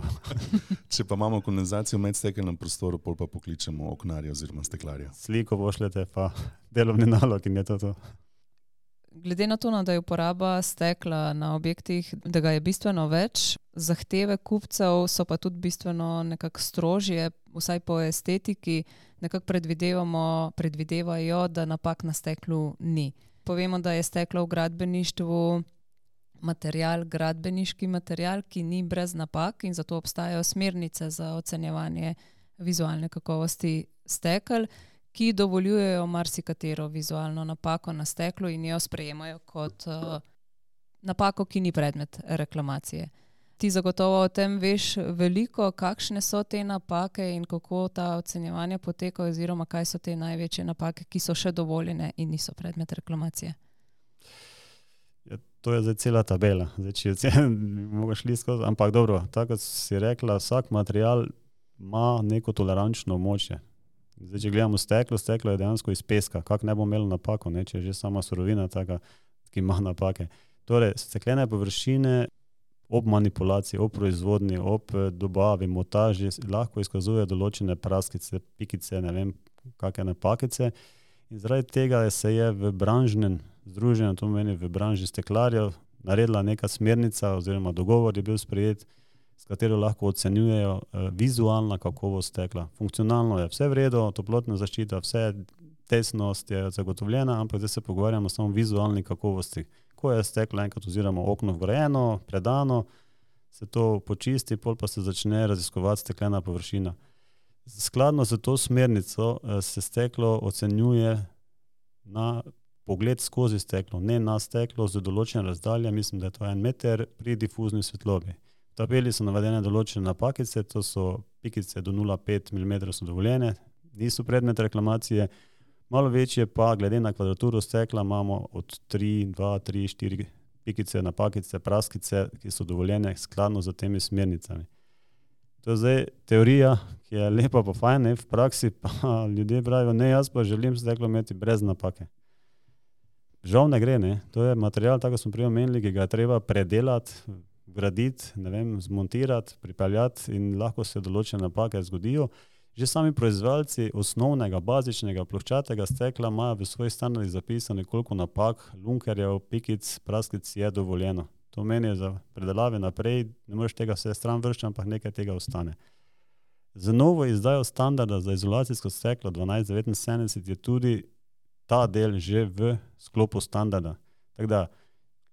Če pa imamo kondenzacijo v medstekelnem prostoru, pol pa pokličemo oknarja oziroma steklarja. Sliko pošljete pa delovni nalog in je to to. Glede na to, da je uporaba stekla na objektih, da ga je bistveno več, zahteve kupcev so pa tudi bistveno nekako strožje, vsaj po estetiki, nekako predvidevamo, predvidevajo, da napak na steklu ni. Povemo, da je steklo v gradbeništvu material, gradbeniški material, ki ni brez napak in zato obstajajo smernice za ocenjevanje vizualne kakovosti stekel, ki dovoljujejo marsikatero vizualno napako na steklu in jo sprejemajo kot uh, napako, ki ni predmet reklamacije. Ti zagotovo o tem veš veliko, kakšne so te napake in kako ta ocenjevanja potekajo oziroma kaj so te največje napake, ki so še dovoljene in niso predmet reklamacije. Ja, to je zdaj cela tabela. Zdaj, če ocen, mogo šli skozi, ampak dobro, tako si rekla, vsak material ima neko tolerančno območje. Zdaj, če gledamo steklo, steklo je dejansko iz peska, kak ne bo imelo napako, ne, če je že sama surovina taka, ki ima napake. Torej, steklene površine ob manipulaciji, ob proizvodnji, ob dobavi, montaži lahko izkazuje določene praskice, pikice, ne vem, kakšne napakice in zaradi tega se je v branžnem združenju, to meni v branži steklarjev, naredila neka smernica oziroma dogovor je bil sprejet, s katero lahko ocenjujejo uh, vizualna kakovost stekla. Funkcionalno je vse v redu, toplotna zaščita, vse tesnost je zagotovljena, ampak zdaj se pogovarjamo samo o vizualni kakovosti. Ko je steklo enkrat oziroma okno vgrajeno, predano, se to počisti, pol pa se začne raziskovati steklena površina. Skladno z to smernico uh, se steklo ocenjuje na pogled skozi steklo, ne na steklo z določene razdalje, mislim, da je to en meter pri difuzni svetlobi. V tabeli so navedene določene napakice, to so pikice do nula celih pet milimetra so dovoljene, niso predmet reklamacije, malo večje pa, glede na kvadraturo stekla, imamo od tri, dva, tri, štiri pikice, napakice, praskice, ki so dovoljene skladno z temi smernicami. To je zdaj teorija, ki je lepa pa fajn, v praksi pa ljudje pravijo, ne, jaz pa želim steklo imeti brez napake. Žal ne gre, ne. To je material, tako smo prej omenili, ki ga je treba predelati, graditi, ne vem, zmontirati, pripeljati in lahko se določene napake zgodijo. Že sami proizvajalci osnovnega, bazičnega, ploščatega stekla imajo v svojih standardih zapisano, koliko napak, lunkerjev, pikic, praskic je dovoljeno. To meni za predelave naprej, ne moreš tega vse stran vršiti, ampak nekaj tega ostane. Z novo izdajo standarda za izolacijsko steklo dvanajst devetinsedemdeset je tudi ta del že v sklopu standarda. Tako da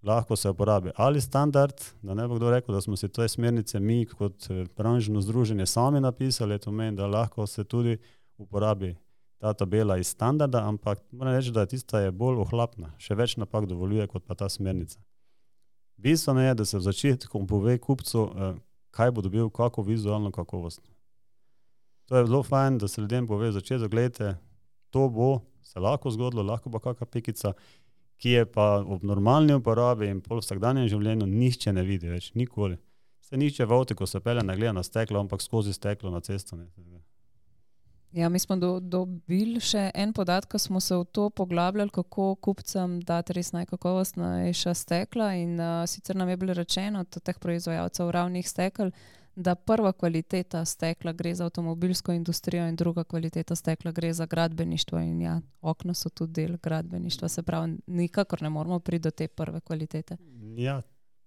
lahko se uporabi ali standard, da ne bo kdo rekel, da smo si te smernice mi kot branžno združenje sami napisali, to meni, da lahko se tudi uporabi ta tabela iz standarda, ampak moram reči, da tista je bolj ohlapna, še več napak dovoljuje kot pa ta smernica. Bistveno je, da se v začetku pove kupcu, kaj bo dobil, kako vizualno kakovost. To je zelo fajn, da se ljudem pove v začetku, gledajte, to bo se lahko zgodilo, lahko pa kakšna pikica, ki je pa ob normalni uporabi in pol vsakdanjem življenju nihče ne vidi več, nikoli. Se nihče v avtu, ko se pelje, ne gleda na steklo, ampak skozi steklo na cesto. Ne. Ja, mi smo do, dobili še en podatek, ko smo se v to poglabljali, kako kupcem dati res najkakovostnejša stekla in uh, sicer nam je bilo rečeno od teh proizvajalcev ravnih stekel, da prva kvaliteta stekla gre za avtomobilsko industrijo in druga kvaliteta stekla gre za gradbeništvo in ja, okna so tudi del gradbeništva, se pravi, nikakor ne moramo priti do te prve kvalitete. Ja,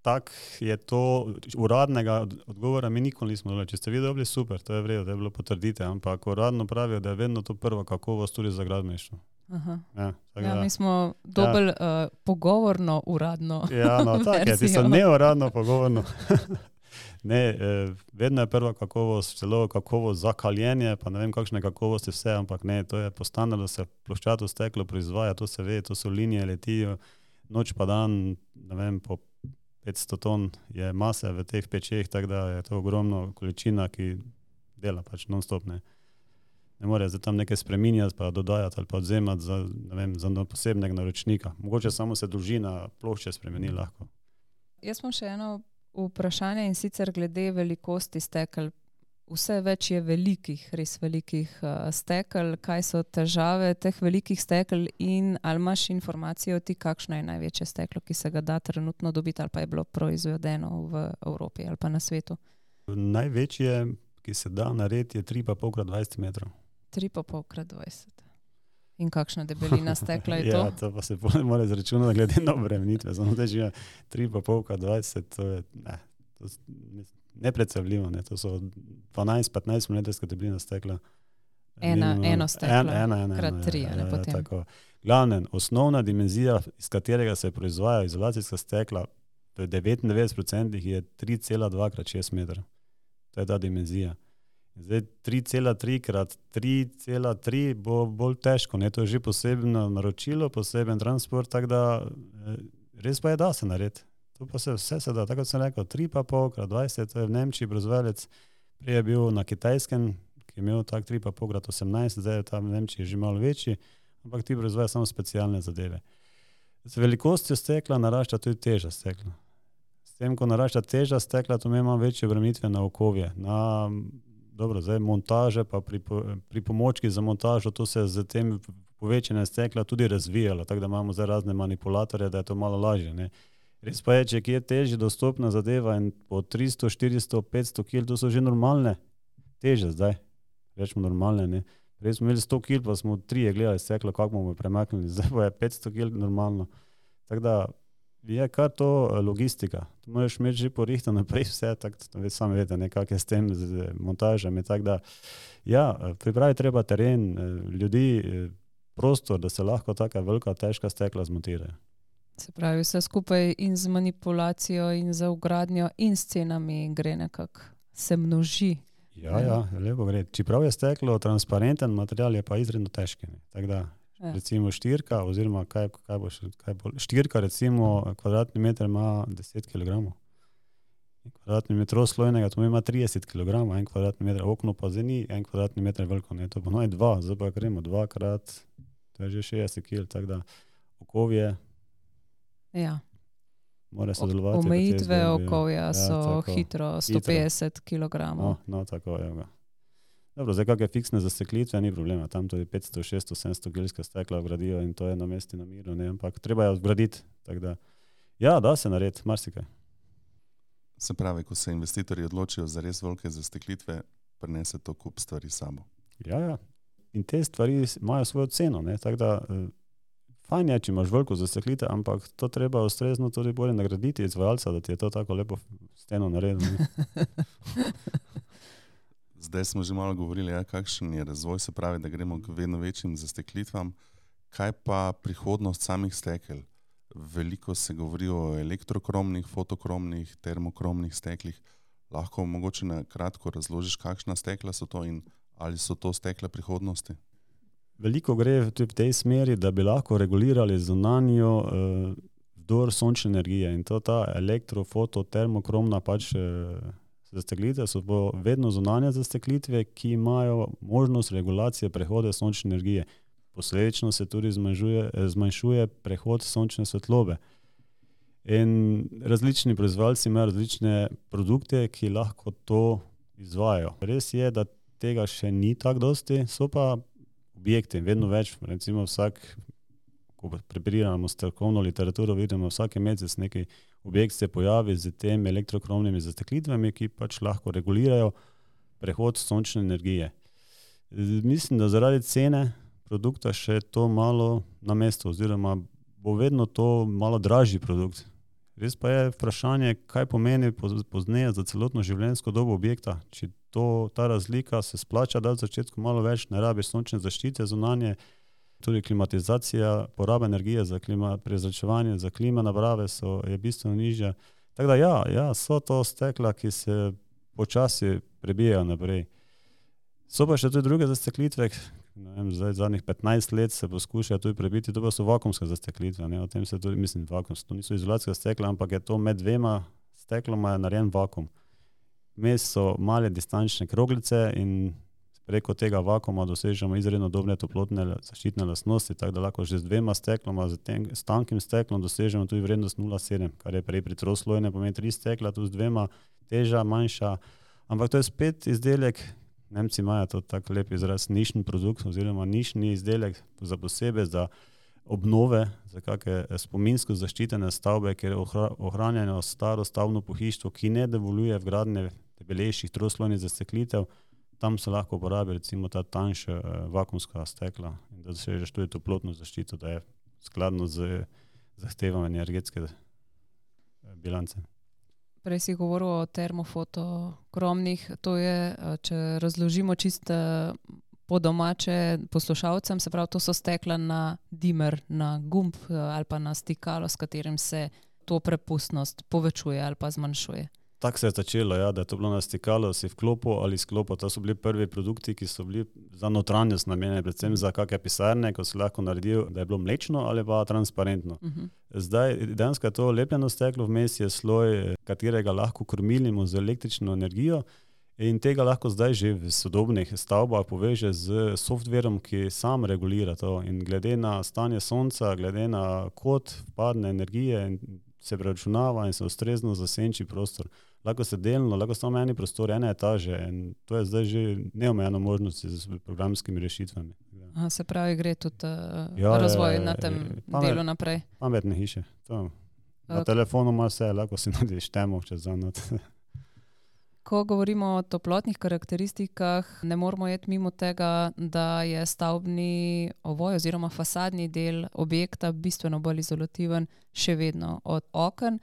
tak je to, uradnega odgovora mi nikoli nismo dobili. Če ste vi dobili, super, to je v redu, da je bilo potrdite, ampak uradno pravijo, da je vedno to prva kakovost tudi za gradbeništvo. Aha. Ja, ja, mi smo dobili ja. uh, pogovorno uradno ja, no, tak je, ti so neuradno pogovorno. Ne, eh, vedno je prva kakovost, celo kakovost za kaljenje, pa ne vem kakšne kakovosti vse, ampak ne, to je po standardu, se ploščato steklo proizvaja, to se ve, to so linije, letijo, noč pa dan, ne vem, po petsto ton je mase v teh pečeh, tako da je to ogromno količina, ki dela pač non-stop, ne. Ne more zdaj tam nekaj spreminjati, pa dodajati ali pa odzemati za, ne vem, za posebnega naročnika. Mogoče samo se dolžina plošče spremeni lahko. Jaz imam še eno vprašanje in sicer glede velikosti stekel. Vse več je velikih, res velikih uh, stekel. Kaj so težave teh velikih stekel in ali imaš informacijo ti, kakšno je največje steklo, ki se ga da trenutno dobiti ali pa je bilo proizvedeno v Evropi ali pa na svetu? Največje, ki se da narediti, je tri pa pol krat dvajset metrov. tri pa pol krat dvajset. In kakšna debelina stekla je to? Ja, to pa se mora izračunati glede na obremenitve. Samo da že tri pa pol krat dvajset, to je ne, to nepredstavljivo. Ne. To so dvanajst petnajst milimetrska debelina stekla. Ena, eno steklo, en, ena, ena, krat tri, ja, ne potem. Tako. Glavnem, osnovna dimenzija, iz katerega se proizvajajo izolacijska stekla, v devetindevetdeset procentih je tri cela dva krat šest metra. To je ta dimenzija. Zdaj tri cela tri krat tri cela tri bo bolj težko, ne, to je že posebno naročilo, poseben transport, tako da res pa je da se narediti. To pa se vse se da, tako kot sem rekel, tri pa pol krat dvajset, to je v Nemčiji proizvajalec, prej je bil na Kitajskem, ki je imel tak tri pa pol krat osemnajst, zdaj je tam v Nemčiji že malo večji, ampak ti proizvajajo samo specialne zadeve. Z velikostjo stekla narašča tudi teža stekla. S tem, ko narašča teža stekla, to ima večje obremenitve na okovje, na Dobro, zdaj montaže pa pri, pri pomočki za montažo, to se z tem povečanjem stekla tudi razvijalo, tako da imamo zdaj razne manipulatorje, da je to malo lažje. Ne. Res pa je, če je težje dostopna zadeva in po tristo, štiristo, petsto kil, to so že normalne teže zdaj, rečemo normalne. Ne. Prej smo imeli sto kil, pa smo trije gledali steklo, kako bomo premaknili, zdaj pa je petsto kil normalno. Tako da je kar to logistika. To moraš imeti že porihtano naprej vse, tako da sami vete, nekak je s tem z montažami. Tako da, ja, pripravi treba teren, ljudi, prostor, da se lahko taka velika, težka stekla zmontirajo. Se pravi, vse skupaj in z manipulacijo in za vgradnjo in s cenami gre nekako, se množi. Ja, ja, lepo gre. Čeprav je steklo transparenten material, je pa izredno težki. Tako da, ja. Recimo štirka, oziroma kaj, kaj bo še, kaj bo, štirka recimo kvadratni meter ima deset kilogramov. Kvadratni meter slojnega, to ima trideset kilogramov, en kvadratni meter, okno pa zdaj ni en kvadratni meter veliko, ne, to pa no je dva, zdaj pa gremo dva krat, to je že šestdeset kil, tako da okovje ja. mora sodelovati. Omejitve okovja ja, so tako, hitro sto petdeset kilogramov. No, no, tako je ga. Dobro, zdaj kakšne fiksne zasteklitve, ni problema, tam to je petsto, šeststo, sedemsto gelska stekla vgradijo in to je na mesti na miru, ne, ampak treba je vgraditi, tako da, ja, da se narediti, marsikaj. Se pravi, ko se investitorji odločijo za res velike zasteklitve, prinese to kup stvari sabo. Ja, ja, in te stvari imajo svojo ceno, ne, tako da, fajn je, če imaš veliko zasteklitev, ampak to treba ustrezno tudi bolje nagraditi izvajalca, da ti je to tako lepo steno naredil. Zdaj smo že malo govorili, ja, kakšen je razvoj, se pravi, da gremo k vedno večjim zasteklitvam. Kaj pa prihodnost samih stekel? Veliko se govori o elektrokromnih, fotokromnih, termokromnih steklih. Lahko mogoče na kratko razložiš, kakšna stekla so to in ali so to stekla prihodnosti? Veliko gre tudi v tej smeri, da bi lahko regulirali zunanjo uh, vdor sončne energije in to ta elektro, foto, termokromna pač uh, zasteklitve so vedno zunanje zasteklitve, ki imajo možnost regulacije prehoda sončne energije. Posledično se tudi zmanjšuje, zmanjšuje prehod sončne svetlobe. In različni proizvajalci imajo različne produkte, ki lahko to izvajajo. Res je, da tega še ni tako dosti, so pa objekti, vedno več, recimo vsak, ko preberiramo strokovno literaturo, vidimo vsake mesec neki objekt se pojavi z tem elektrokromnimi zasteklitvami, ki pač lahko regulirajo prehod sončne energije. Mislim, da zaradi cene produkta še to malo na mestu, oziroma bo vedno to malo dražji produkt. Res pa je vprašanje, kaj pomeni pozneje za celotno življenjsko dobo objekta. Če to, ta razlika se splača, da v začetku malo več ne rabiš sončne zaščite zunanje, tudi klimatizacija, poraba energije za klima, prezračevanje, za klima naprave so, je bistveno nižja. Tako da ja, ja, so to stekla, ki se počasi prebijajo naprej. So pa še tudi druge zasteklitve, ne vem, zdaj zadnjih petnajst let se poskušajo tudi prebiti, to pa so vakuumske zasteklitve, ne, o tem se tudi, mislim, vakuumske, to niso izolacijska stekla, ampak je to med dvema stekloma je narejen vakuum. Vmes so male distančne kroglice in preko tega vakuuma dosežemo izredno dobre toplotne zaščitne lastnosti, tako da lahko že z dvema stekloma, z, ten, z tankim steklom dosežemo tudi vrednost nula celih sedem, kar je prej pri troslojnem pomeni tri stekla, tu z dvema teža, manjša, ampak to je spet izdelek. Nemci imajo to tako lep izraz, nišni produkt oziroma nišni izdelek za posebej, za obnove, za kakšne spominsko zaščitene stavbe, kjer ohranjeno staro stavbno pohištvo, ki ne dovoljuje vgradnje debelejših troslojnih zasteklitev, tam se lahko uporabi recimo ta tanjša eh, vakuumska stekla, da dosežeš tudi toplotno zaščito, da je skladno z zahtevami energetske bilance. Prej si govoril o termofotokromnih, to je, če razložimo čisto po domače poslušalcem, se pravi, to so stekla na dimer, na gumb ali pa na stikalo, s katerim se to prepustnost povečuje ali pa zmanjšuje. Tako se je začelo, ja, da je to bilo na stikalo, si vklopil ali sklopil. To so bili prvi produkti, ki so bili za notranjost namenjeni, predvsem za kakšne pisarne, ko si lahko naredil, da je bilo mlečno ali pa transparentno. Uh-huh. Zdaj, dejansko je to lepljeno steklo, vmes je sloj, katerega lahko krmilimo z električno energijo in tega lahko zdaj že v sodobnih stavbah poveže z softverom, ki sam regulira to in glede na stanje sonca, glede na kod vpadne energije in se preračunava in se ustrezno zasenči prostor. Lahko se delno, lahko samo eni prostor, ene etaže in to je zdaj že neomejeno možnosti z programskimi rešitvami. Aha, se pravi, gre tudi uh, ja, razvoj na tem pamet, delu naprej. Pametne hiše. To. Na okay. telefonu ima vse, lahko si narediš temo čez zanot. Ko govorimo o toplotnih karakteristikah, ne moramo jeti mimo tega, da je stavbni ovoj oziroma fasadni del objekta bistveno bolj izolativen še vedno od oken.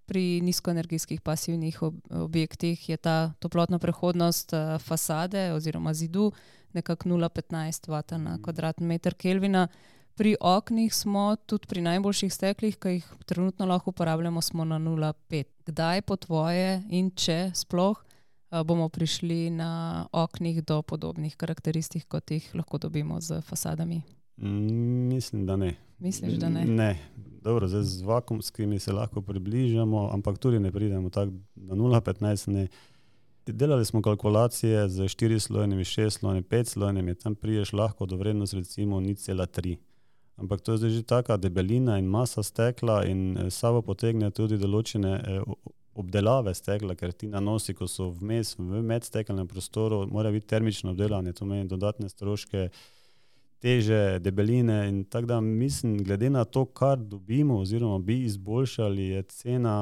Pri nizkoenergijskih pasivnih objektih je ta toplotna prehodnost fasade oziroma zidu nekako nula celih petnajst vata na kvadratni meter Kelvina. Pri oknih smo tudi pri najboljših steklih, ki jih trenutno lahko uporabljamo, smo na nula celih pet. Kdaj po tvoje in če sploh bomo prišli na oknih do podobnih karakteristik, kot jih lahko dobimo z fasadami? Mm, mislim, da ne. Misliš, da ne? Ne. Dobro, zdaj z vakuumskimi se lahko približamo, ampak tudi ne pridemo tako na nula celih petnajst. Ne. Delali smo kalkulacije z štirislojnimi, šestslojnimi, petslojnimi, tam priješ lahko do vrednosti recimo nič celih tri. Ampak to je zdaj že taka debelina in masa stekla in sabo potegne tudi določene obdelave stekla, ker ti nanosi, ko so vmes v medstekelnem prostoru, mora biti termično obdelanje, to meni dodatne stroške, teže, debeline in tako da mislim, glede na to, kar dobimo oziroma bi izboljšali, je cena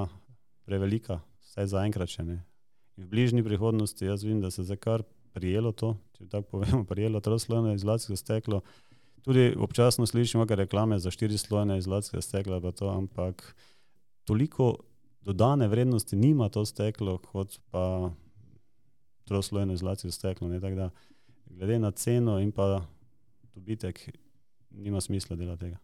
prevelika, vsaj zaenkrat še ne. In v bližnji prihodnosti jaz vidim, da se za kar prijelo to, če tako povemo, prijelo troslojno izolacijsko steklo. Tudi občasno slišimo kakšne reklame za štirislojne izolacijske stekla, pa to, ampak toliko dodane vrednosti nima to steklo, kot pa troslojno izolacijsko steklo. Ne? Tako da glede na ceno in pa dobitek nima smisla dela tega.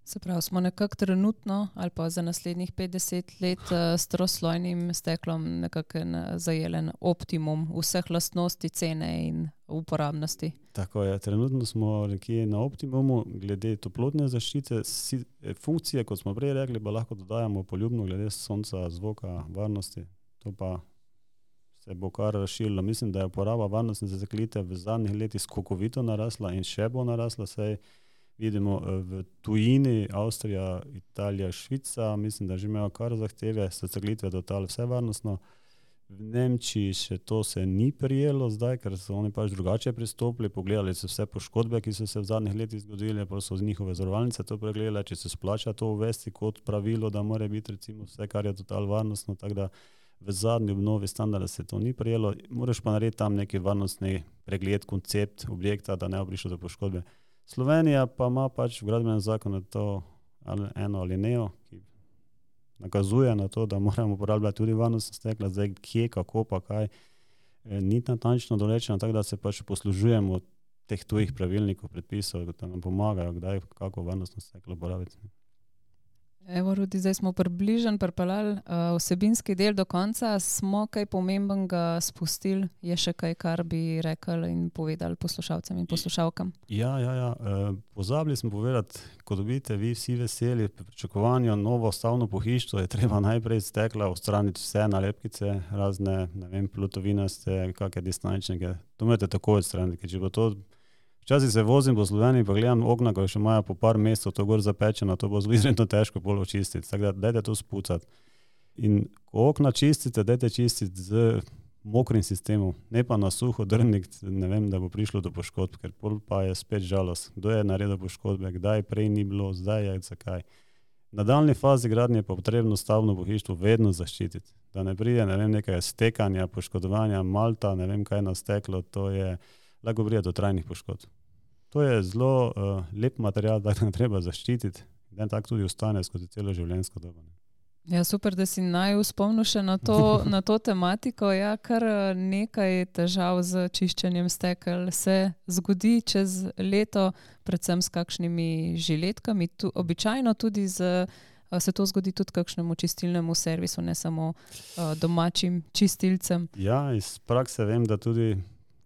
Se pravi, smo nekako trenutno ali pa za naslednjih petdeset let s troslojnim steklom nekako zajelen optimum vseh lastnosti, cene in uporabnosti. Tako je, trenutno smo nekje na optimumu glede toplotne zaščite, funkcije, kot smo prej rekli, pa lahko dodajamo poljubno glede sonca, zvoka, varnosti, to pa se bo kar razširilo. Mislim, da je uporaba varnostne zaklite v zadnjih letih skokovito narasla in še bo narasla, saj vidimo v tujini, Avstrija, Italija, Švica, mislim, da že imajo kar zahteve, so zaklitve total vse varnostno. V Nemčiji še to se ni prijelo zdaj, ker so oni pač drugače pristopili, pogledali so vse poškodbe, ki so se v zadnjih letih zgodile, pa so z njihove zavarovalnice to pregledali, če se splača to uvesti kot pravilo, da mora biti recimo vse, kar je total varnostno, tako da v zadnji obnovi standarda se to ni prijelo. Moraš pa narediti tam neki varnostni pregled, koncept objekta, da ne bo prišlo do poškodbe. Slovenija pa ima pač v gradbenem zakonu to eno alinejo, ki nakazuje na to, da moramo uporabljati tudi varnostna stekla, zdaj kje, kako pa kaj, ni natančno določeno, tako da se pač poslužujemo teh tujih pravilnikov, predpisov, da nam pomagajo, kdaj, kako varnostno steklo uporabiti. Evo, Rudi, zdaj smo približno pripeljali uh, vsebinski del do konca. Smo kaj pomembnega spustili? Je še kaj, kar bi rekli in povedali poslušalcem in poslušalkam? Ja, ja, ja. E, pozabili smo povedati, ko dobite vi vsi veseli pri pričakovanju novo stavno pohištvo, je treba najprej stekla odstraniti vse nalepkice, razne, ne vem, plutovinaste, kakšne distančnike. To morate tako odstraniti, ker če bo to včasih se vozim po Sloveniji, pa gledam okna, ko še imajo po par mesecev to gor zapečeno, to bo zelo izredno težko pol očistiti. Tako da dajte to spucati. In ko okna čistite, dajte čistiti z mokrim sistemom, ne pa na suho drniti, ne vem, da bo prišlo do poškodb, ker pol pa je spet žalost. Kdo je naredil poškodbe, kdaj prej ni bilo, zdaj je, zakaj. Na daljni fazi gradnje pa potrebno stavno pohištvo vedno zaščititi. Da ne pride, ne vem, nekaj stekanja, poškodovanja, malta, ne vem, kaj na steklo, to je lahko pride do trajnih poškodb. To je zelo uh, lep material, da ga treba zaščititi, da tako tudi ostane skozi celo življenjsko dobo. Ja, super, da si naju spomnil še na to, na to tematiko. Ja, kar nekaj težav z čiščenjem stekel se zgodi čez leto, predvsem s kakšnimi žiletkami. Tu, običajno tudi z, se to zgodi tudi kakšnemu čistilnemu servisu, ne samo uh, domačim čistilcem. Ja, iz prakse vem, da tudi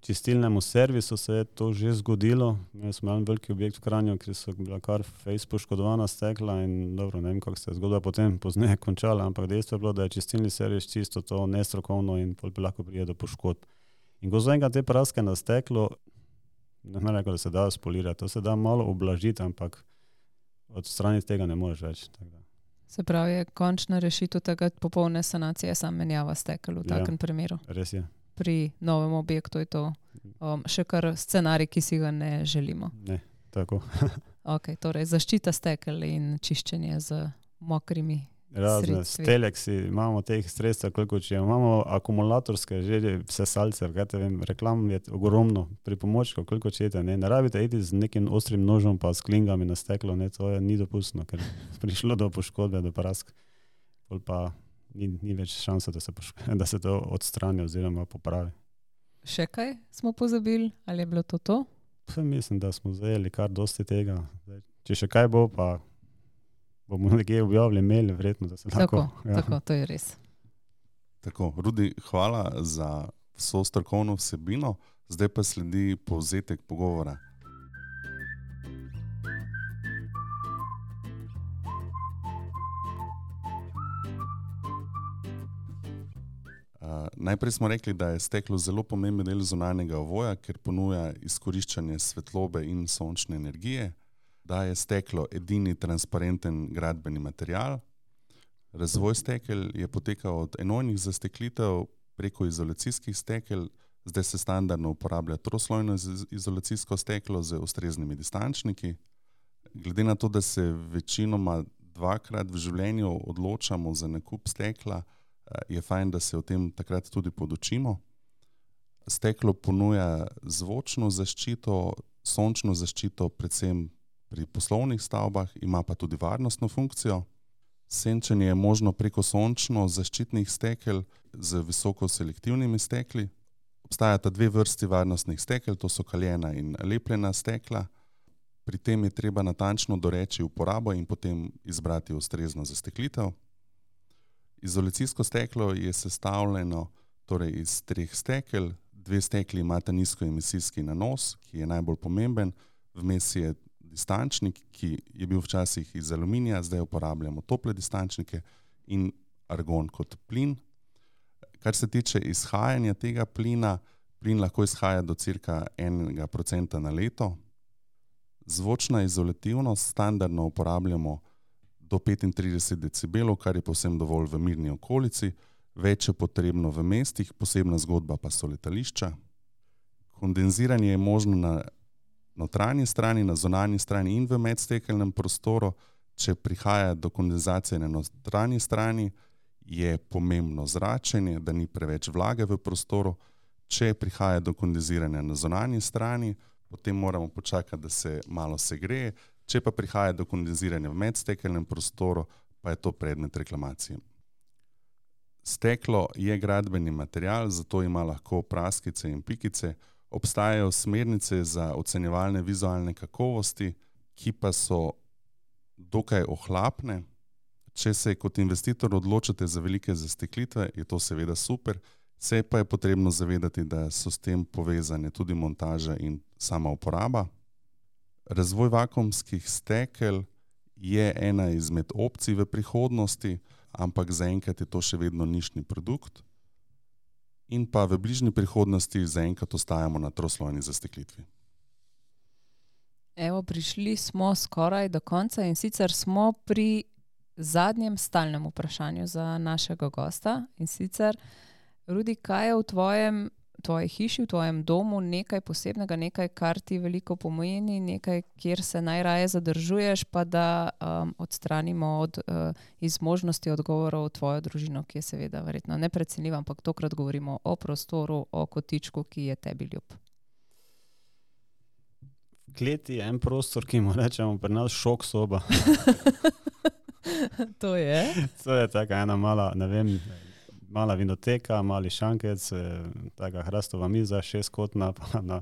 čistilnemu servisu se je to že zgodilo. Imeli smo en veliki objekt v Kranju, kjer so bila kar fejs poškodovana stekla in dobro, ne vem, kako se je zgodba potem pozneje končala, ampak dejstvo je bilo, da je čistilni servis čisto to nestrokovno in pol bi lahko prije do poškodb. In ko zaenkrat te praske na steklo, ne rekel, da se da spolirati, to se da malo oblažiti, ampak odstraniti tega ne moreš več. Tako da. Se pravi, je končna rešitev tega popolne sanacije sam menjava stekel v takem ja, primeru. Res je. Pri novem objektu je to um, še kar scenarij, ki si ga ne želimo. Ne, tako. Ok, torej zaščita stekel in čiščenje z mokrimi razne sredstvi. Steleksi, imamo teh sredstev, koliko če imamo akumulatorske že sesalce, kaj te vem, reklam je ogromno, pripomočkov, koliko čete, ne, ne rabite iti z nekim ostrim nožom pa s klingami na steklo, ne, to je ni dopustno, ker prišlo do poškodbe, do prask, pol pa Ni, ni več šansa, da se, da se to odstrani oziroma popravi. Še kaj smo pozabili? Ali je bilo to to? Pa mislim, da smo zajeli kar dosti tega. Če še kaj bo, pa bomo nekje objavili mail, verjetno, da se lahko... Tako, ja. tako, to je res. Tako, Rudi, hvala za vso strokovno vsebino. Zdaj pa sledi povzetek pogovora. Uh, najprej smo rekli, da je steklo zelo pomemben del zunanjega ovoja, ker ponuja izkoriščanje svetlobe in sončne energije, da je steklo edini transparenten gradbeni material, Razvoj stekel je potekal od enojnih zasteklitev preko izolacijskih stekel, zdaj se standardno uporablja troslojno izolacijsko steklo z ustreznimi distančniki. Glede na to, da se večinoma dvakrat v življenju odločamo za nakup stekla, je fajn, da se o tem takrat tudi podučimo. Steklo ponuja zvočno zaščito, sončno zaščito, predvsem pri poslovnih stavbah, ima pa tudi varnostno funkcijo. Senčenje je možno preko sončno zaščitnih stekel z visoko selektivnimi stekli. Obstajata dve vrsti varnostnih stekel, to so kaljena in lepljena stekla. Pri tem je treba natančno doreči uporabo in potem izbrati ustrezno zasteklitev. Izolacijsko steklo je sestavljeno torej iz treh stekel. Dve stekli imata nizkoemisijski nanos, ki je najbolj pomemben. Vmes je distančnik, ki je bil včasih iz aluminija, zdaj uporabljamo tople distančnike in argon kot plin. Kar se tiče izhajanja tega plina, plin lahko izhaja do cirka enega procenta na leto. Zvočna izolativnost standardno uporabljamo do petintrideset decibelov, kar je povsem dovolj v mirni okolici. Več je potrebno v mestih, posebna zgodba pa so letališča. Kondenziranje je možno na notranji strani, na zunanji strani in v medstekelnem prostoru. Če prihaja do kondenzacije na notranji strani, je pomembno zračenje, da ni preveč vlage v prostoru. Če prihaja do kondenziranja na zunanji strani, potem moramo počakati, da se malo segreje. Če pa prihaja do kondenziranja v medstekelnem prostoru, pa je to predmet reklamacije. Steklo je gradbeni material, zato ima lahko praskice in pikice. Obstajajo smernice za ocenjevalne vizualne kakovosti, ki pa so dokaj ohlapne. Če se kot investitor odločite za velike zasteklitve, je to seveda super. Se pa je potrebno zavedati, da so s tem povezane tudi montaža in sama uporaba. Razvoj vakuumskih stekel je ena izmed opcij v prihodnosti, ampak zaenkrat je to še vedno nišni produkt. In pa v bližnji prihodnosti zaenkrat ostajamo na troslojni zasteklitvi. Evo, prišli smo skoraj do konca in sicer smo pri zadnjem stalnem vprašanju za našega gosta. In sicer, Rudi, kaj je v tvojem, tvoji hiši, v tvojem domu nekaj posebnega, nekaj, kar ti veliko pomeni, nekaj, kjer se najraje zadržuješ, pa da um, odstranimo od, uh, iz možnosti odgovorov tvojo družino, ki je seveda verjetno neprecenljiva, ampak tokrat govorimo o prostoru, o kotičku, ki je tebi ljub. V kleti je en prostor, ki mu rečemo pri nas šok soba. To je? To je taka ena mala, ne vem, mala vinoteka, mali šankec, taka hrastova miza, šestkotna, pa na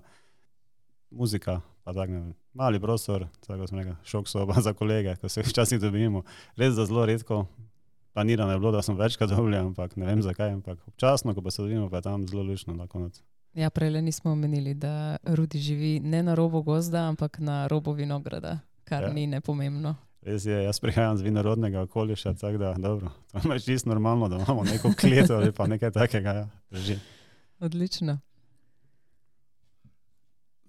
muzika, pa tak ne vem, mali prostor, tako smo nekaj, šok soba za kolege, ko se včasih dobimo. Res za zelo redko, planirano je bilo, da smo večkrat dobili, ampak ne vem zakaj, ampak občasno, ko pa se dobimo, pa je tam zelo lušno na konec. Ja, prejle nismo omenili, da Rudi živi ne na robu gozda, ampak na robu vinograda, kar ja. Ni nepomembno. Res je, jaz prihajam z vinorodnega okoliša, tako da, dobro, to je čisto normalno, da imamo neko kleto ali pa nekaj takega, ja, drži. Odlično.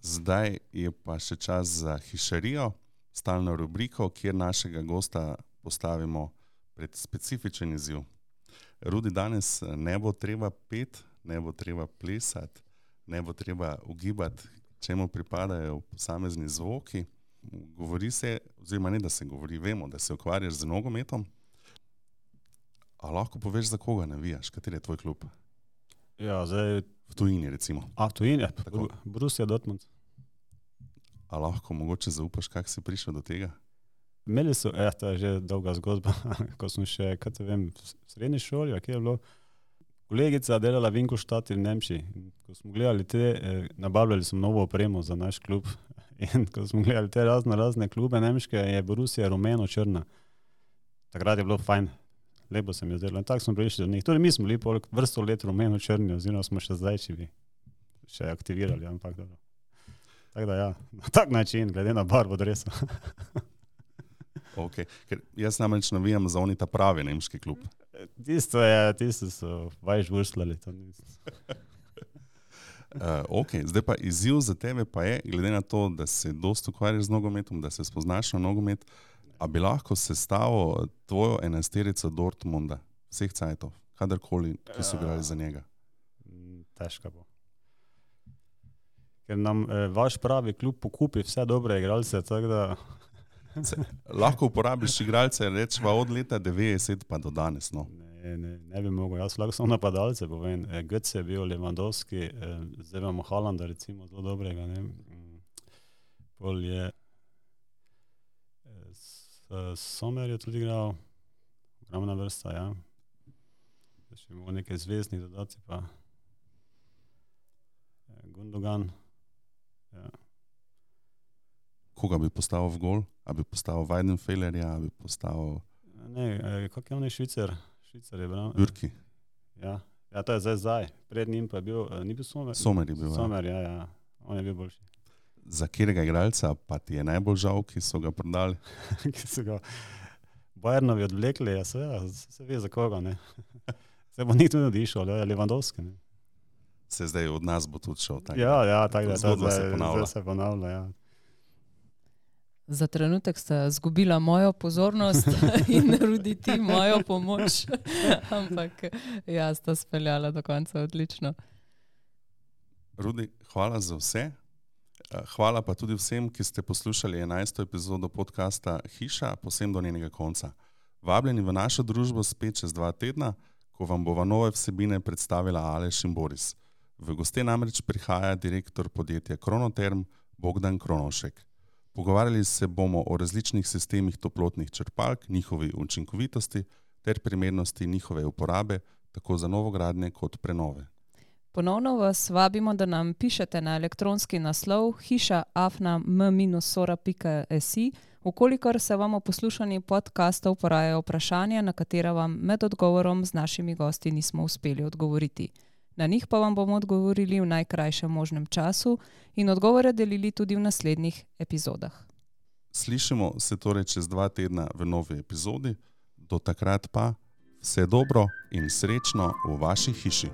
Zdaj je pa še čas za hišarijo, stalno rubriko, kjer našega gosta postavimo pred specifičen izziv. Rudi, danes ne bo treba pet, ne bo treba plesati, ne bo treba ugibati, čemu pripadajo posamezni zvoki. Govori se, oziroma ne, da se govori, vemo, da se ukvarjaš z nogometom. A lahko poveš, za koga navijaš? Kateri je tvoj klub? Ja, zdaj... V tujini, recimo. A, v tujini, ja. Borussia Dortmund. A lahko mogoče zaupaš, kako si prišel do tega? Imeli so, ja, to je že dolga zgodba, ko sem še, kaj te vem, v srednji šoli, a kje je bilo, kolegica delala v Ingolstadtu v Nemčiji. Ko smo gledali te, eh, nabavljali smo novo opremo za naš klub. In ko smo gledali te razne, razne klube nemške, je Borussia rumeno-črna. Takrat je bilo fajn, lepo se mi je zdelo. In tako smo prišli do njih. Tudi mi smo bili pol vrsto let rumeno-črni, oziroma smo še zdaj, če bi še aktivirali, ampak dobro. Tako da ja, na tak način, glede na barvo dresa. Ok, ker jaz namreč navijam za oni ta pravi nemški klub. Tisto je, tisto so vajš vrslali. Uh, ok, zdaj pa izziv za tebe pa je, glede na to, da se dosti ukvarjaš z nogometom, da se spoznaš na nogomet, A bi lahko sestavil tvojo enajsterico Dortmunda, vseh cajtov, kadarkoli, ki so igrali za njega? Težko bo. Ker nam eh, vaš pravi klub pokupi vse dobre igralce, tako da... Se, lahko uporabiš igralce, rečeva od leta devetdeset pa do danes. No. Ne, ne, ne bi mogel, jaz lahko samo napadalce povem. E, Götze je bil, Lewandowski, e, zdaj imamo Haalanda, recimo, zelo dobrega. Ne? Pol je e, s, Sommer je tudi igral, ogromna vrsta, ja. Zdaj še imamo nekaj zvezdnih dodati, pa e, Gundogan. Ja. Koga bi postavil v gol? A bi postavil Weidenfellerja, a bi postavil... Ne, e, kak je on je Švicer? Švicer je bral. Bürki. Ja. Ja, to je zdaj zdaj. Pred njim pa je bil, ni bil Sommer? Sommer je bil, Sommer, ja, ja. On je bil boljši. Za katerega igralca pa ti je najbolj žal, ki so ga prodali? Ki so ga Bayernovi odvlekli, ja, se, se ve za koga, ne. Se bo nikdo ne odišel, ja, Lewandowski, ne. Se zdaj od nas bo tudi šel. Tak, ja, ja, tako da zgodba zdaj, se ponavlja. zdaj se ponavlja, ja. Za trenutek sta zgubila mojo pozornost in Rudi ti mojo pomoč, ampak ja, sta speljala do konca odlično. Rudi, hvala za vse. Hvala pa tudi vsem, ki ste poslušali enajsto epizodo podcasta Hiša, posem do njenega konca. Vabljeni v našo družbo spet čez dva tedna, ko vam bova nove vsebine predstavila Aleš in Boris. V goste namreč prihaja direktor podjetja Kronoterm Bogdan Kronovšek. Pogovarjali se bomo o različnih sistemih toplotnih črpalk, njihovi učinkovitosti ter primernosti njihove uporabe, tako za novogradnje kot prenove. Ponovno vas vabimo, da nam pišete na elektronski naslov hiša afna m sora pika si, ukolikor se vam o poslušanju podcastov porajajo vprašanja, na katera vam med odgovorom z našimi gosti nismo uspeli odgovoriti. Na njih pa vam bomo odgovorili v najkrajšem možnem času in odgovore delili tudi v naslednjih epizodah. Slišimo se torej čez dva tedna v novi epizodi. Do takrat pa vse dobro in srečno v vaši hiši.